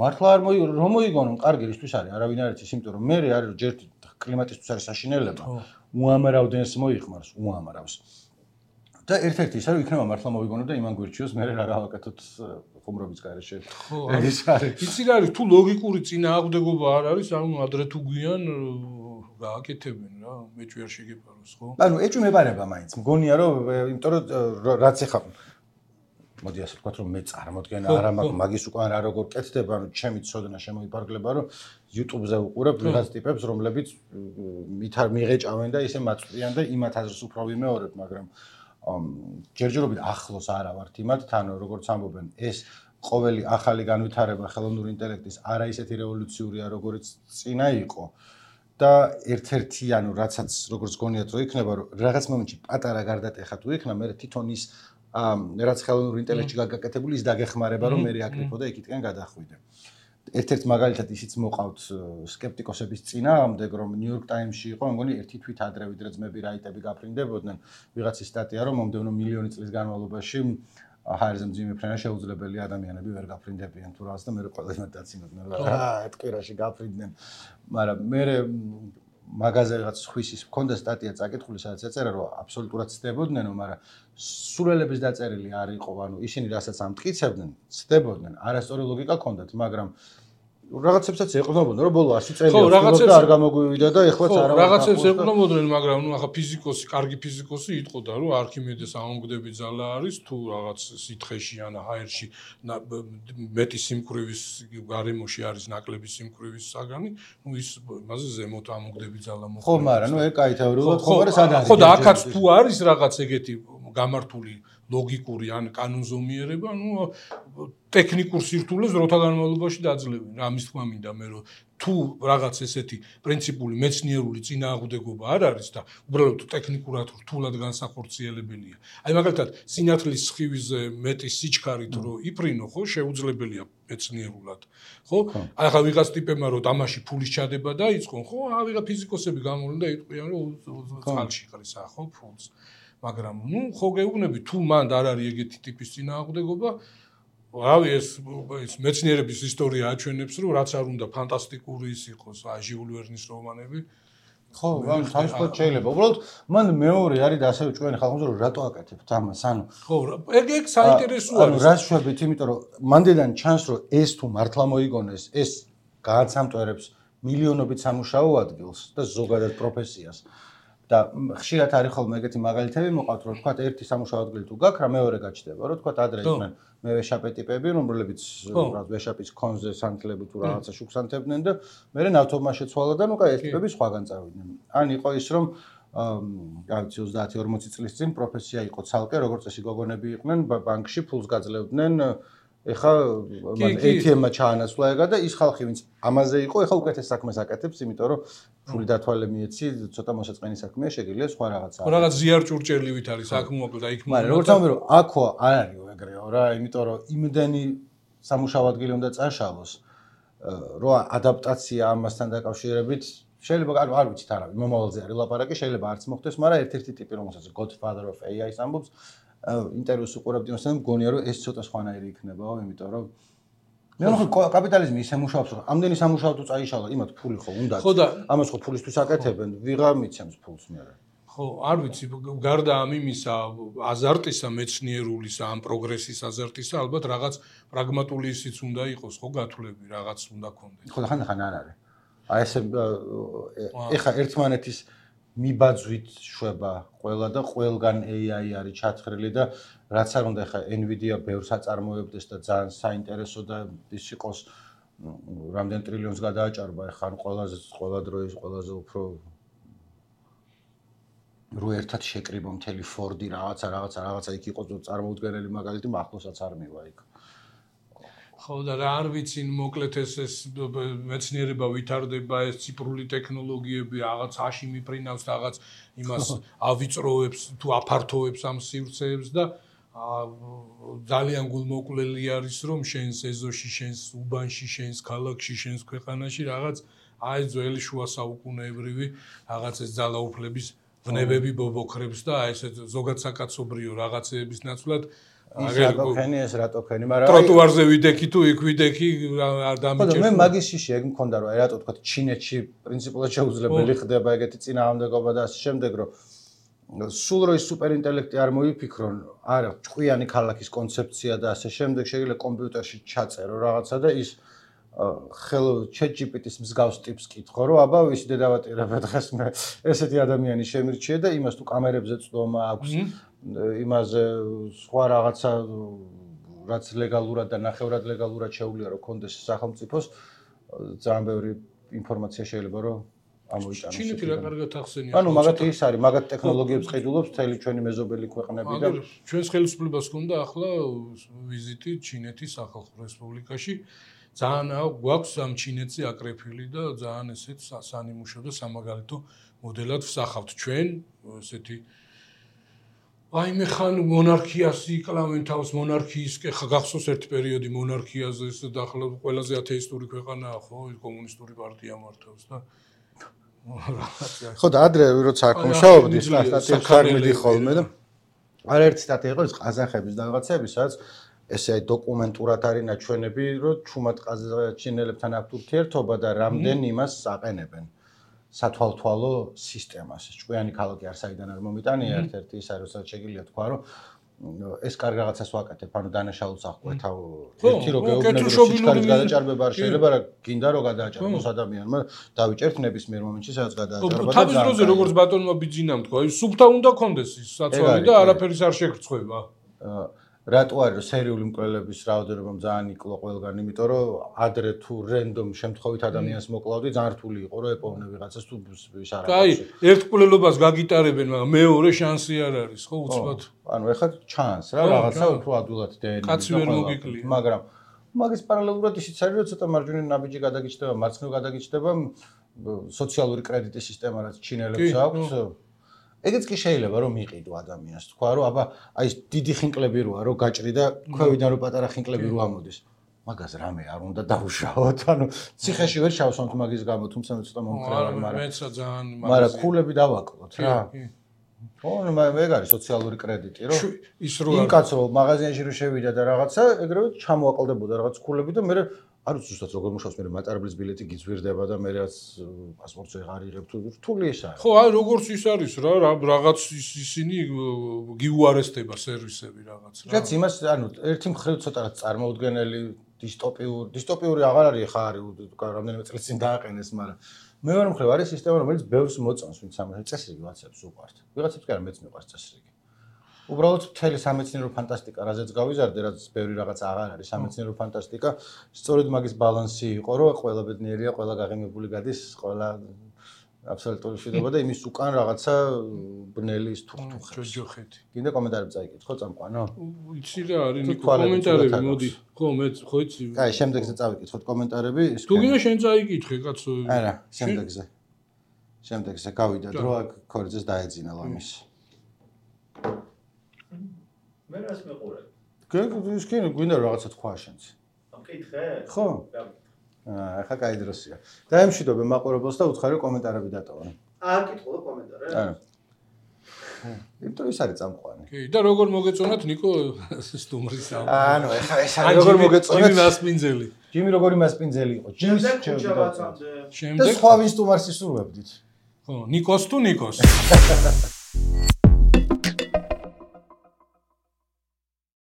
მართლა არ რომ მოიგონონ კარგი რისთვის არის არავინ არ იცის იმიტომ რომ მე არის რომ ჯერ კლიმატისთვის არის საშინელება უამრავდენს მოიხმარს უამრავს და ერთ-ერთი ის არის იქნება მართლა მოვიგონო და იმან გვირჩიოს მე რა გავაკეთოთ ხუმრობის გარეშე ეს არის იცი რა არის თუ ლოგიკური წინააღმდეგობა არ არის ანუ ადრე თუ გვიან გააკეთებენ რა მეჭვი არ შეგეპაროს ხო ანუ ეჭვი მეპარება მაინც მგონია რომ იმიტომ რომ რაც ეხა მოდი ასე ვთქვათ რომ მე წარმოდგენა არა მაქვს მაგის უკან რა როგორ კეთდება ანუ ჩემი ცოდნა შემოიფარგლება რომ YouTube-ზე უყურებ ვიღაც ტიპებს რომლებიც მიღეჭავენ და ისე მაწვდიან და იმათ აზრს უფრო ვიმეორებ მაგრამ ჯერჯერობით ახლოს არა ვართ იმათ თან როგორც ამბობენ ეს ყოველი ახალი განვითარება ხელოვნური ინტელექტის არა ისეთი რევოლუციურია როგორც წინა იყო და ერთ-ერთი ანუ რაცაც როგორც გონიათ რომ იქნება რომ რაღაც მომენტში პატარა გარდატეხა თუ იქნება მე თვითონ ის რაც ხელოვნური ინტელექტი გაკეთებული ის დაგეხმარება რომ მე აკრიფო და იქითკენ გადახვიდე. ერთ-ერთ მაგალითად ისიც მოყავთ სკეპტიკოსების წინააღმდეგ რომ New York Times-ში იყო მგონი ერთი თვით ადრე ვიდრე ძმები რაიტები გაფრინდებოდნენ ვიღაცის სტატია რომ მომდევნო მილიონი წლის განმავლობაში ჰაერზე მძიმე ფრენა შეუძლებელი ადამიანები ვერ გაფრინდებიან თუ რაღაც და მე ყველა იმათ დაცინოდნენ რა ეთქვირაში გაფრინდნენ მაგრამ მე მაგაზე რაღაც ხვის მქონდა სტატია წაკითხული, სადაც ეწერა, რომ აბსოლუტურად ცდებოდნენ, მაგრამ სულელების დაწერილი არ იყო, ანუ ისინი რასაც ამტკიცებდნენ, ცდებოდნენ, არასწორი ლოგიკა ჰქონდათ, მაგრამ რაღაცებსაც ეყრდნობოდნენ, რომ ბოლო 100 წელი არ გამოგვივიდა და ეხლაც არა. რაღაცებს ეყრდნობოდნენ, მაგრამ ნუ ახლა ფიზიკოსი, კარგი ფიზიკოსი იტყოდა, რომ არქიმედეს ამონგდები ძალა არის, თუ რაღაც სითხეში ან ჰაერში მეტი სიმკვრივის გარემოში არის ნაკლები სიმკვრივის საგანი, ნუ ის იმაზე ზემოთ ამონგდები ძალა მოხდა. ხო, მაგრამ ნუ ეგ კაითეორიულად ხო, მაგრამ სად არის? ხო, და აქაც თუ არის რაღაც ეგეთი გამართული ლოგიკური ან კანონზომიერება, ნუ ტექნიკურ სირთულეს დროთა განმავლობაში დაძლევენ. ამის თქმა მინდა მე რომ თუ რაღაც ესეთი პრინციპული მეცნიერული წინააღმდეგობა არ არის და უბრალოდ ტექნიკურად რთულად განსახორციელებელია. აი მაგალითად, სინათლის სხივიზე მეტი სიჩქარით რო იფრინო, ხო, შეუძლებელია მეცნიერულად. ხო? აი ახლა ვიღაც ტიპებმა რო თამაში ფულის ჩადება დაიწყონ, ხო? ვიღა ფიზიკოსები გამოვლენ და იტყვიან რომ წყალში ყრისა, ხო, ფულს. მაგრამ ნუ ხო გეუბნები თუ მანდ არ არის ეგეთი ტიპის წინააღმდეგობა, რავი ეს მეცნიერების ისტორია აჩვენებს რომ რაც არ უნდა ფანტასტიკური ის იყოს, ჟიულ ვერნის რომანები. ხო, ან თავისუფლად შეიძლება. უბრალოდ მან მეორე არის და ასევე ჩვენი ხალხი რომ რატო აკეთებთ ამას, ანუ ხო, ეგ საინტერესო არის. ანუ რა შვებით, იმიტომ რომ მანდელან ჩანს რომ ეს თუ მართლა მოიგონეს, ეს გააცამტვერებს მილიონობით სამუშაო ადგილს და ზოგადად პროფესიას. და ხშირად არის ხოლმე ეგეთი მაგალითები მოყავთ, რომ თქვა ერთი სამუშაო ადგილი თუ გაქვს, რა მეორე გაჩნდება, რომ თქვა ადრე იყვნენ მე ვეშაპე ტიპები, რომლებიც ვეშაპის კონზე სანთლები თუ რაღაცა შუქსანთებდნენ და მე ნავთობმა შეცვალა და ნუ კაი ეს ტიპები სხვაგან წავიდნენ. ან იყო ის რომ რა ვიცი 30-40 წლის წინ პროფესია იყო ცალკე, როგორც წესი გოგონები იყვნენ ბანკში ფულს გაძლევდნენ ეხა ATM-მა ჩაანაცვლა ეგა და ის ხალხი ვინც ამაზე იყო, ეხა უკეთეს საქმეს აკეთებს, იმიტომ რომ ფული დათვალე მიეცი, ცოტა მოსაწყენი საქმეა, შეგიძლია სხვა რაღაცა. რაღაც ზიარჭურჭელივით არის საქმე და იქ მაგრამ როგორც ამბობ, რომ აქო არ არის ეგრეო რა, იმიტომ რომ იმდენი სამუშაო ადგილი უნდა წაშალოს, რომ ადაპტაცია ამასთან დაკავშირებით შეიძლება არ ვიცით არავინ, მომავალზე არის ლაპარაკი, შეიძლება არც მოხდეს, მაგრამ ერთ-ერთი ტიპი რომელსაც Godfather of AI-ს ამბობს ინტერვიუს უყურებდი მასთან მგონია რომ ეს ცოტა სხვანაირი იქნებაო, იმიტომ რომ მე ხო კაპიტალიზმი ისე მუშაობს რომ ამდენი სამუშაო თუ წაიშალა, იმათ ფული ხო უნდათ. ამას ხო ფულისთვის აკეთებენ, ვიღა მიცემს ფულს მე. ხო, არ ვიცი, გარდა ამ იმისა, აზარტისა, მეცნიერულისა, ამ პროგრესის აზარტისა, ალბათ რაღაც პრაგმატული ისიც უნდა იყოს, ხო, გათვლები, რაღაც უნდა ქონდეს. ხო, ხან არ არის. აი ესე ეხა ერთმანეთის მიბაძვით შვება ყველა და ყველგან AI არის ჩათხრილი და რაც არ უნდა ეხა Nvidia ბევრს აწარმოებდეს და ძალიან საინტერესო და ის იყოს რამდენ ტრილიონს გადააჭარბა ეხა ყველა დროის ყველაზე უფრო რო ერთად შეკრიბო მთელი Ford-ი რაღაცა იქ იყო წარმოუდგენელი მაგალითი მახლოსაც არ მივა იქ. ხო და რა არ ვიცი მოკლედ ეს მეცნიერება ვითარდება ეს ციფრული ტექნოლოგიები რაღაც აში მიფრინავს რაღაც იმას ავიწროებს თუ აფართოვებს ამ სივრცეებს და ძალიან გულმოკლელი არის რომ შენს ეზოში შენს უბანში შენს ქალაქში შენს ქვეყანაში რაღაც აი ძველი შუა საუკუნეებრივი რაღაც ეს ძალაუფლების ვნებები ბობოქრებს და აი ეს ზოგად საკაცობრიო რაღაცეების ნაცვლად რატოფენი ეს რატოფენი, მაგრამ ტროტუარზე ვიდექი თუ იქ ვიდექი არ დამიჭერს. ხო, მე მაგის შიში ეგ მქონდა რომ აი რატო თქვა ჩინეთში პრინციპულად შეუძლებელი ხდება ეგეთი წინააღმდეგობა და ასე შემდეგ რომ სულ რო ის სუპერინტელექტი არ მოიფიქრონ, არა, ჭკვიანი ქალაქის კონცეფცია და ასე შემდეგ შეიძლება კომპიუტერში ჩაწერო რაღაცა და ის ChatGPT-ს მსგავს ტიპს კითხო რომ აბა ისი დედავატირებ დღეს მე ესეთი ადამიანი შემირჩიე და იმას თუ კამერებზე წვდომა აქვს იმაზე სხვა რაღაცა რაც ლეგალურად და ნახევრად ლეგალურად შეუძლია რომ კონდეს სახელმწიფოს ძალიან ბევრი ინფორმაცია შეიძლება რომ ამოიტანოს. ჩინეთი რა კარგად ახსენია. ანუ მაგათი ის არის, მაგათ ტექნოლოგიებს ყიდულობს მთელი ჩვენი მეზობელი ქვეყნები და ჩვენს ხელისუფლებას ჰქონდა ახლა ვიზიტი ჩინეთის სახალხო რესპუბლიკაში. ძალიან გვაქვს ამ ჩინეთზე აკრეფილი და ძალიან ესეთ სანიმუშო და სამაგალითო მოდელად ვსახავთ ჩვენ ესეთი აი მე ხან მონარქიას იკლავენ თავს მონარქიის ხა გახსოვს ერთი პერიოდი მონარქიაზე და ახლა ყველაზე ათეისტური ქვეყანაა ხო კომუნისტური პარტია მართავს და ხო და ადრე როცა აქ მუშაობდი სტატიებს არ მიდი ხოლმე და არაერთი სტატია იყო ეს ყაზახების და რაღაცების სადაც ესე დოკუმენტურად არის ნაჩვენები რომ ჩუმად ყაზახ ჩინელებთან აქვთ ურთიერთობა და რამდენ იმას აყენებენ სათვალთვალო სისტემას. ჭკვიანი ქალაქი არ საიდან არ მომიტანია, ერთ-ერთი ის არის, რასაც შეგიძლია თქვა, რომ ეს კარგ რაღაცას ვაკეთებ, ანუ დანაშაულს აღკვეთავ. ერთი რო გეუბნები, რომ სიჩქარის გადაჭარბება არ შეიძლება, რა გინდა რომ გადააჭარბოს ადამიანმა, დავიჭერთ ნებისმიერ მომენტში, სადაც გადააჭარბა. თავის დროზე როგორც ბატონმა ბიძინამ თქვა, ის სუფთა უნდა კონდეს ის საცვალი და არაფერის არ შეგრცხვება. რატო არის რომ სერიული მკვლელების რაოდენობა ძალიან იკლო ყველგან, იმიტომ რომ ადრე თუ რენდომ შემთხვევით ადამიანს მოკლავდი, ძალიან რთული იყო რომ ეპოვნე ვიღაცას თუ ის არ არის. აი, ერთ მკვლელობას გაგიტარებენ, მაგრამ მეორე შანსი არ არის, ხო, უცბად. ანუ ეხლა ჩანს რა, რაღაცა უფრო ადვილად დეენი. კაცი ვერ მოგიკლია. მაგრამ მაგის პარალელურად ისიც არის, რომ ცოტა მარჯვენა ნაბიჯი გადაგიჭდება, მარცხნივ გადაგიჭდება სოციალური კრედიტის სისტემა, რაც ჩინელებს აქვს. ეგეც კი შეიძლება რომ მიყიდო ადამიანს, თქვა რომ აბა აი ეს დიდი ხინკლები როა რომ გაჭრი და ქვევიდან რომ პატარა ხინკლები რო ამოდის. მაგას რამე არ უნდა დავუშავოთ, ანუ ციხეში ვერ შავსვამთ მაგის გამო, თუმცა მე ცოტა მომხრევარ, მაგრამ მეცა ძალიან მაგრამ ქულები დავაკლოთ რა. ხო, ეგ არის სოციალური კრედიტი, რომ ის რო იმ კაცს რომ მაღაზიაში რო შევიდა და რაღაცა, ეგრევე ჩამოაკლდებოდა რაღაც ქულები და მე არ ვიცი ზუსტად როგორ მუშაობს, მე მატარებლის ბილეთი გიძვირდება და მე რაც პასპორტს ვეღარ იღებ თუ რთული ის არის. ხო, აი როგორც ის არის რა, რაღაც ისინი გიუარესტება სერვისები რაღაც რა. რაც იმას, ანუ ერთი მხრივ ცოტა რაც წარმოუდგენელი დისტოპიური აღარ არის ხა არის, რამდენიმე წელს წინ დააყენეს, მაგრამ მეორე მხრივ არის სისტემა, რომელიც ბევრს მოწონს, ვინც ამას წესრიგი ვაცებს უყვართ. ვიღაცებს კი არა მეც მიყვარს წესრიგი. უბრალოდ მთელი სამეცნიერო ფანტასტიკა, რაზეც გავიზარდე, რაც ბევრი რაღაც აღარ არის სამეცნიერო ფანტასტიკა, სწორედ მაგის ბალანსი იყო, რომ ყველა ბედნიერია, ყველა გაღიმებული გადის, ყველა აბსოლუტური შვიდობა და იმის უკან რაღაცა ბნელი ის თუხთუხებს. ჯოჯოხეთი. გინდა კომენტარები წაიკითხო, წამყვანო? იცი რა არის, ნიკო, კომენტარები, მოდი. ხო, მე ხო იცი. კაი, შემდეგზე წავიკითხოთ კომენტარები. თუ გინდა შენ წაიკითხე, კაცო. არა, შემდეგზე. შემდეგზე გავიდა დრო, აქ ქორიძეს დაეძინა ლამის. მე რას მეყურებ? ის კი გვინდა რაღაცა თქვა შენც. მკითხე? ხო. ახლა კაი დროსია. დაემშვიდობე მაყურებელს და უცხარი კომენტარები დატოვე. აკითხო კომენტარები? არა. იმიტომ ის არის წამყვანი. კი, და როგორ მოგეწონათ ნიკო სტუმრის ამ. ანუ ახლა ეს არის როგორ მოგეწონათ? ჯიმი მასპინძელი. ჯიმი როგორი მასპინძელი იყო? შემდეგ ხუჩაბაცამდე. და სხვა ვინ სტუმარს ისურვებდით? ხო, ნიკოს თუ ნიკოს.